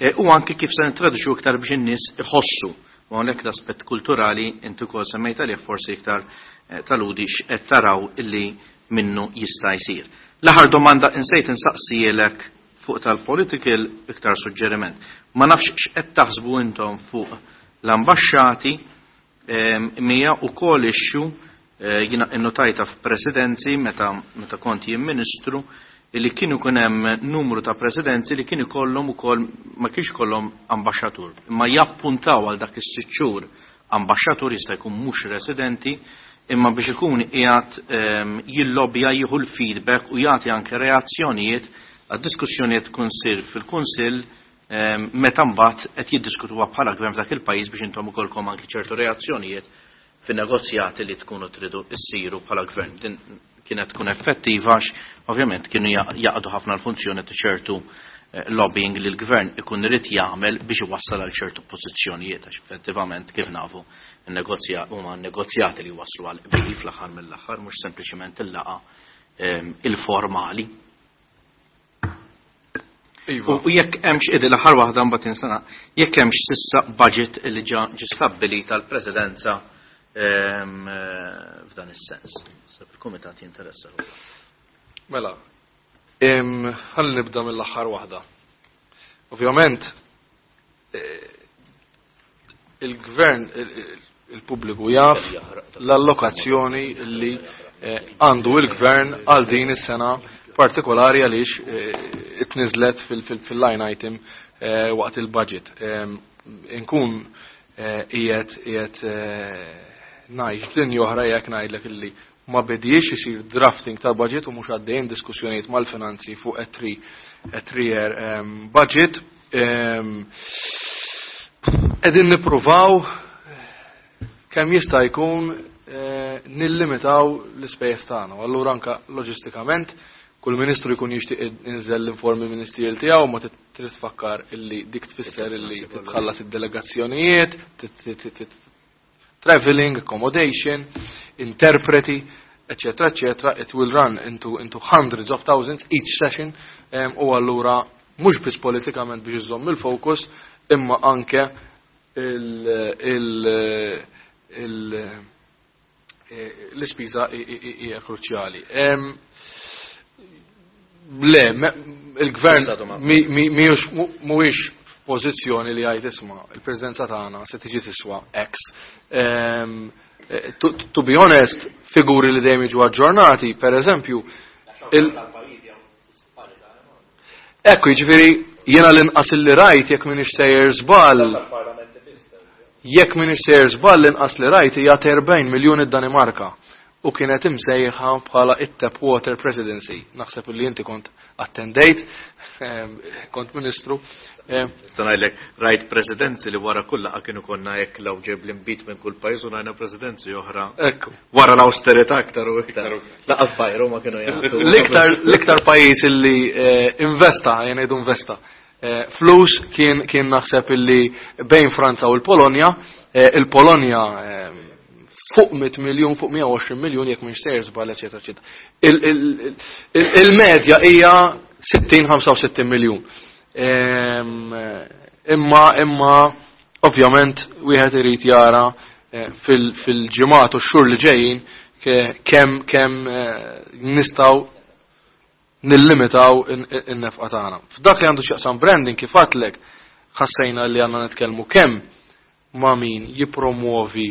e, u anki kif se nintroduċu iktar biex in-nies iħossu. U hawnhekk l-aspett kulturali inti wkoll semmejt għalih forsi iktar, eh, taludi x'qed taraw illi minnu jista' jsir. L-aħħar domanda insejt insaqsielek fuq tal-political iktar suġġeriment. Ma nafx x'qed taħsbu intom fuq l-ambaxxati, ehm, mija wkoll issue, eh, jiena innotajta f'presidenzi meta, meta kont jien ministru li kienu kun hemm numru ta' presidenzi li kienu kollhom ukoll ma kienx kollhom ambaxxatur, imma jappuntaw għal dak is-sitt xhur ambaxxatur jista' jkun mhux residenti, imma biex ikun qiegħed, ehm, jillobja jieħu l-feedback u jagħti anke reazzjonijiet għad-diskussjonijiet tkun sir fil-Kunsill, ehm, meta mbagħad qed jiddiskutuha bħala gvern f'dak il-pajjiż biex intom ukollkom anke ċertu reazzjonijiet fin-negozjati li tkunu tridu issiru bħala gvern. Din kienet tkun effettiva għax ovvjament kienu ja-, jaqdu ħafna l-funzjoni ta' ċertu, eh, lobbying li l-gvern ikun irid jagħmel biex iwassal għal ċertu pożizzjonijiet għax effettivament kif nafu n-negozja-, huma n-negozjati li waslu għal qbil fl-aħħar mill-aħħar mhux sempliċement il-laqgħa, ehm, il-formali. Iva. U jekk hemmx idi l-aħħar waħda mbagħad insana, jekk hemmx s'issa budget li ġa ġi stabbilit tal-presidenza, ehm, eh, f'dan is-sens. Sab il-kumitat jinteressa ruħu. Mela, em, ħalli nibda mill-aħħar waħda. Ovvjament, il-gvern, il-pubbliku jaf l-allokazzjoni li għandu il-gvern għal din is-sena partikolari għaliex itniżlet fil-line item waqt il-budget. Inkun qiegħed qiegħed ngħix f'dinja oħra jekk ngħidlek illi ma bediex isir drafting ta' budget u mhux għaddejjin diskussjonijiet mal-finanzi fuq a three a three year budget. Qegħdin nippruvaw kemm jista' jkun nillimitaw l-ispejjeż tagħna. U allura anke loġistikament kull ministru jkun jixtieq inżel l-informi ministerjal tiegħu, ma trid tfakkar illi dik tfisser illi titħallas id-delegazzjonijiet, traveling, accommodation, interpreti, eccetera, eccetera. It will run into, into hundreds of thousands each session, u allura mhux biss politikament biex iżomm il-fokus, imma anke l-ispiża hija kruċjali. Le, il-gvern mhuwiex f'pożizzjoni li jgħid isma' il-presidenza tagħna se tiġi tiswa X. To, to be honest, figuri li dejjem jiġu aġġornati, per eżempju, ekku, jiġifieri jiena l-inqas li rajt jekk m'iniex sejjer żball, jekk m'iniex sejjer żball l-inqas li rajt hija erbgħin miljun id-Danimarka u kienet imsejħa bħala it-Tap Water Presidency. Naħseb li inti kont attendejt, kont ministru. Nista' ngħidlek rajt presidenzi li wara kull laqgħa kienu konna hekk law ġeb l-inbid minn kull pajjiż u rajna presidenzi oħra. Ekku. Wara l-awsterità aktar u iktar. Laqas bajru ma kienu jagħtu. L-iktar, l-iktar pajjiż illi investa, jien ngħidu investa, flus kien, kien naħseb illi bejn Franza u l-Polonja, il-Polonja fuq mitt miljun, fuq mija u għoxrin miljun jekk mhix sejjer żball, eċetera, eċetera. Il-medja hija sittin, ħamsa u sittin miljun. Imma, imma ovvjament wieħed irid jara fil-ġimgħat u x-xhur li ġejjin kemm, kemm nistgħu nillimitaw in-nefqa tagħna. F'dak li għandu x'jaqsam branding kif għadlek, ħassejna li għandna nitkellmu kemm ma' min jippromuovi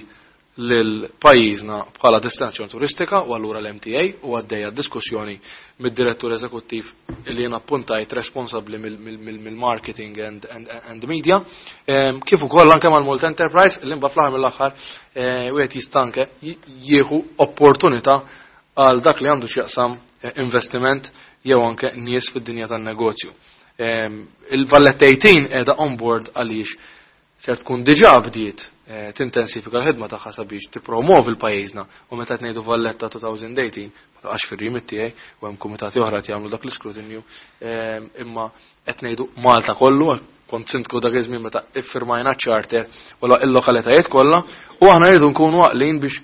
lil pajjiżna bħala destinazzjoni turistika u allura l-M T A u għaddejja diskussjoni mid-direttur eżekuttiv li jien appuntajt responsabbli mill-marketing and, and, and media, kif ukoll anke mal-Malta Enterprise li mbagħad fl-aħħar mill-aħħar wieħed jista' anke jieħu opportunità għal dak li għandu x'jaqsam investiment jew anke nies fid-dinja tan-negozju. Il-Valletta eighteen qiegħda on board għaliex ser tkun diġà bdiet tintensifika l-ħidma tagħha sabiex tippromovi l-pajjiżna u meta qed ngħidu Valletta two thousand eighteen ma taqax fir-rimit tiegħi u hemm kumitati oħra qed jagħmlu dak l-iskrutinju, imma qed ngħidu Malta kollu, kont sindku dak iż-żmien meta iffirmajna ċ-charter u l-lokalitajiet kollha u aħna rridu nkunu għaqlin biex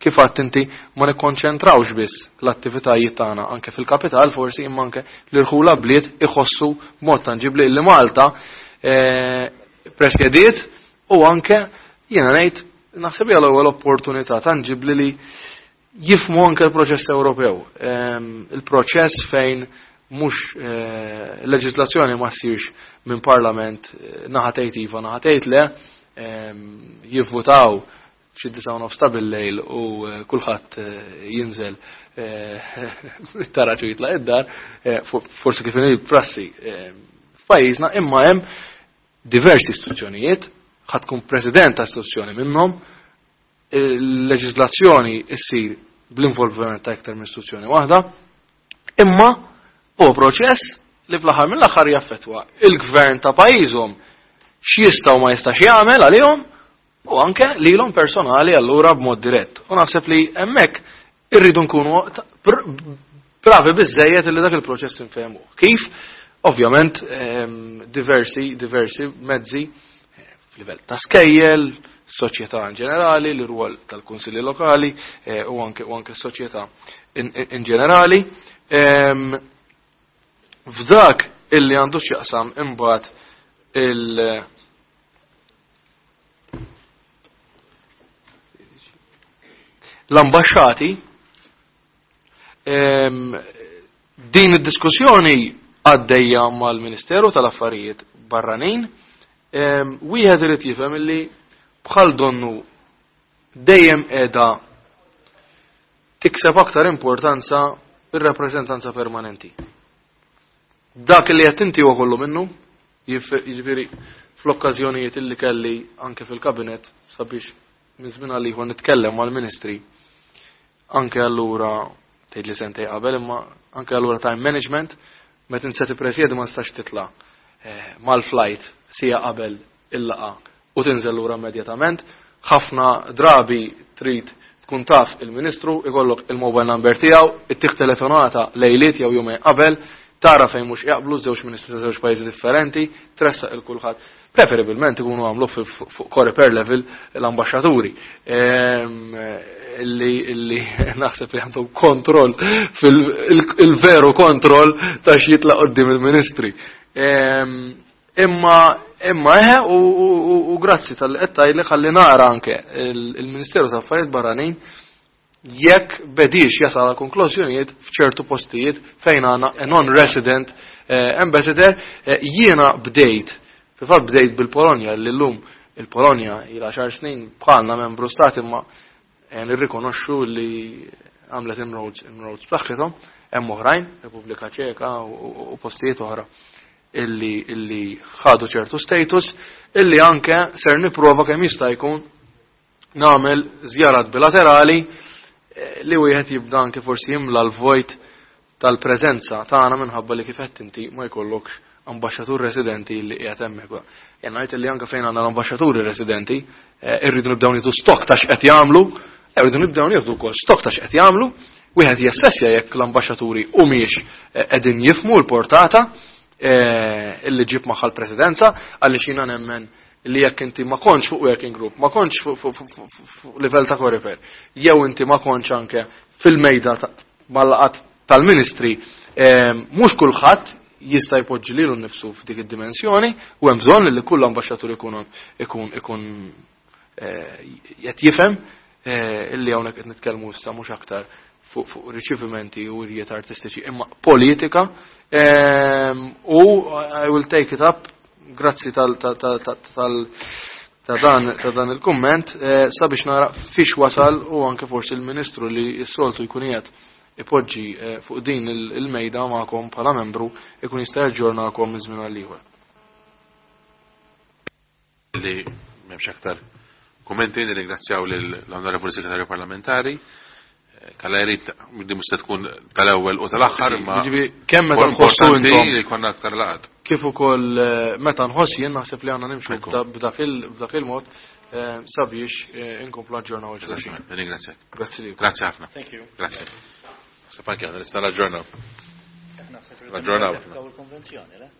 kif għadt inti ma nikkonċentrawx biss l-attivitajiet tagħna anke fil-kapital forsi imma anke l-irħula bliet iħossu b'mod tanġibli li Malta presjediet u anke jiena ngħid naħseb hija l-ewwel opportunità tanġibli li jifhmu anke l-proċess Ewropew. Il-proċess fejn mhux leġiżlazzjoni ma ssirx minn parlament naħa tgħid iva, naħa tgħid le, jivvutaw xi disa' u nofs ta' bil-lejl u kulħadd jinżel it-taraġ u jitlaq id-dar, forsi kif inhi prassi f'pajjiżna, imma hemm diversi istituzzjonijiet, ħa tkun president ta' istituzzjoni minnhom, il-leġiżlazzjoni ssir bl-involviment ta' iktar minn istituzzjoni waħda, imma huwa proċess li fl-aħħar mill-aħħar jaffettwa il-gvern ta' pajjiżhom x'jista' u ma jistax jagħmel għalihom u anke lilhom personali allura b'mod dirett. U naħseb li hemmhekk irridu nkunu bravi biżżejjed li dak il-proċess infehmuh. Kif? Ovvjament, diversi, diversi mezzi f'livell ta' skejjel, soċjetà in ġenerali, l-rwol tal-kunsilli lokali, u anke, u anke s-soċjetà in, in ġenerali. F'dak illi għandu x'jaqsam imbagħad il- l-ambaxxati, din id-diskussjoni għaddejja mal-Ministeru tal-Affarijiet Barranin. Wieħed irid jifhem illi bħal donnu dejjem qiegħda tikseb aktar importanza ir-rappreżentanza permanenti. Dak li qed inti huwa kollu minnu, jiġifieri fl-okkażjonijiet illi kelli anke fil-kabinet sabiex minn żmien għal ieħor nitkellem mal-ministri, anke allura tgħid li sentej qabel, imma anke allura time management, meta inti se tippresjedi ma nistax titla' mal-flight sija qabel il-laqa u tinżel lura immedjatament. Ħafna drabi trid tkun taf il-ministru, ikollok il-mobile number tiegħu, ittih telefonata lejliet jew jumejn qabel, tara fejn mhux jaqblu żewġ ministri ta' żewġ pajjiżi differenti, tressaq il kulħadd. Preferibilment ikunu għamlu fuq Coreper level l-ambaxxaturi. Illi, illi naħseb li għandhom kontroll fil-veru kontroll ta' x'jitlaq qoddim il-ministri. Imma imma eħe u, u, u, u grazzi tal-qed tgħidli ħalli nara anke il-Ministeru ta' Affarijiet Barranin jekk bedix jasal għal konklużjonijiet f'ċertu postijiet fejn għandna a non-resident eh, ambassador. eh, jiena bdejt, fil-fatt bdejt bil-Polonja, li llum il-Polonja ila xar snin bħalna membru stat, imma eh, nirrikonoxxu li għamlet inroads inroads b'saħħithom. Hemm oħrajn, Repubblika Ċeka u, u postijiet oħra illi illi ħadu ċertu status, illi anke ser nipprova kemm jista' jkun nagħmel żjarat bilaterali eh, li wieħed jibda anke forsi jimla l-vojt tal-preżenza tagħna minħabba li kif qed inti ma jkollokx ambaxxatur residenti li qiegħed hemmhekk. Jien ngħid li anke fejn għandna l-ambaxxaturi residenti eh, irridu nibdew nieħdu stock ta' x'qed jagħmlu, irridu nibdew nieħdu wkoll stock ta' x'qed jagħmlu, wieħed jassessja jekk l-ambaxxaturi humiex eh, qegħdin jifmu l-portata illi ġib magħha l-presidenza, għaliex jiena nemmen li jekk inti ma kontx fuq working group, ma kontx fuq livell ta' Coreper, jew inti ma kontx anke fil-mejda mal-laqat tal-ministri, mhux kulħadd jista' jpoġġi lilu nnifsu f'dik id-dimensjoni u hemm bżonn li kull ambaxxatur ikun ikun ikun qed jifhem illi hawnhekk qed nitkellmu issa mhux aktar fuq fuq riċevimenti u wirjiet artistiċi imma politika. U I will take it up, grazzi tal tal tal tal ta' dan ta' dan il-kumment, sabiex nara fiex wasal u anke forsi il-ministru li s-soltu jkun qiegħed ipoġġi fuq din il-mejda magħkom bħala membru ikun jista' jaġġornakom minn żmien għal ieħor. Li m'hemmx aktar kummenti, nirringrazzjaw lill-Onorevoli Segretarju Parlamentari. Kalla jrid di mhux se tkun tal-ewwel u tal-aħħar, ma Jiġifieri kemm meta tħossu importanti intom li jkollna aktar laqgħat. Kif ukoll meta nħoss jien naħseb li għandna nimxu Ekku. b'dak il-, b'dak il-mod sabiex inkomplu aġġornaw il-xulxin. Ringrazzjak. Grazzi lilkom. Grazzi ħafna. Thank you. Grazzi. Sepanki għandna nista' naġġornaw. Naġġornaw. Il-konvenzjoni, le?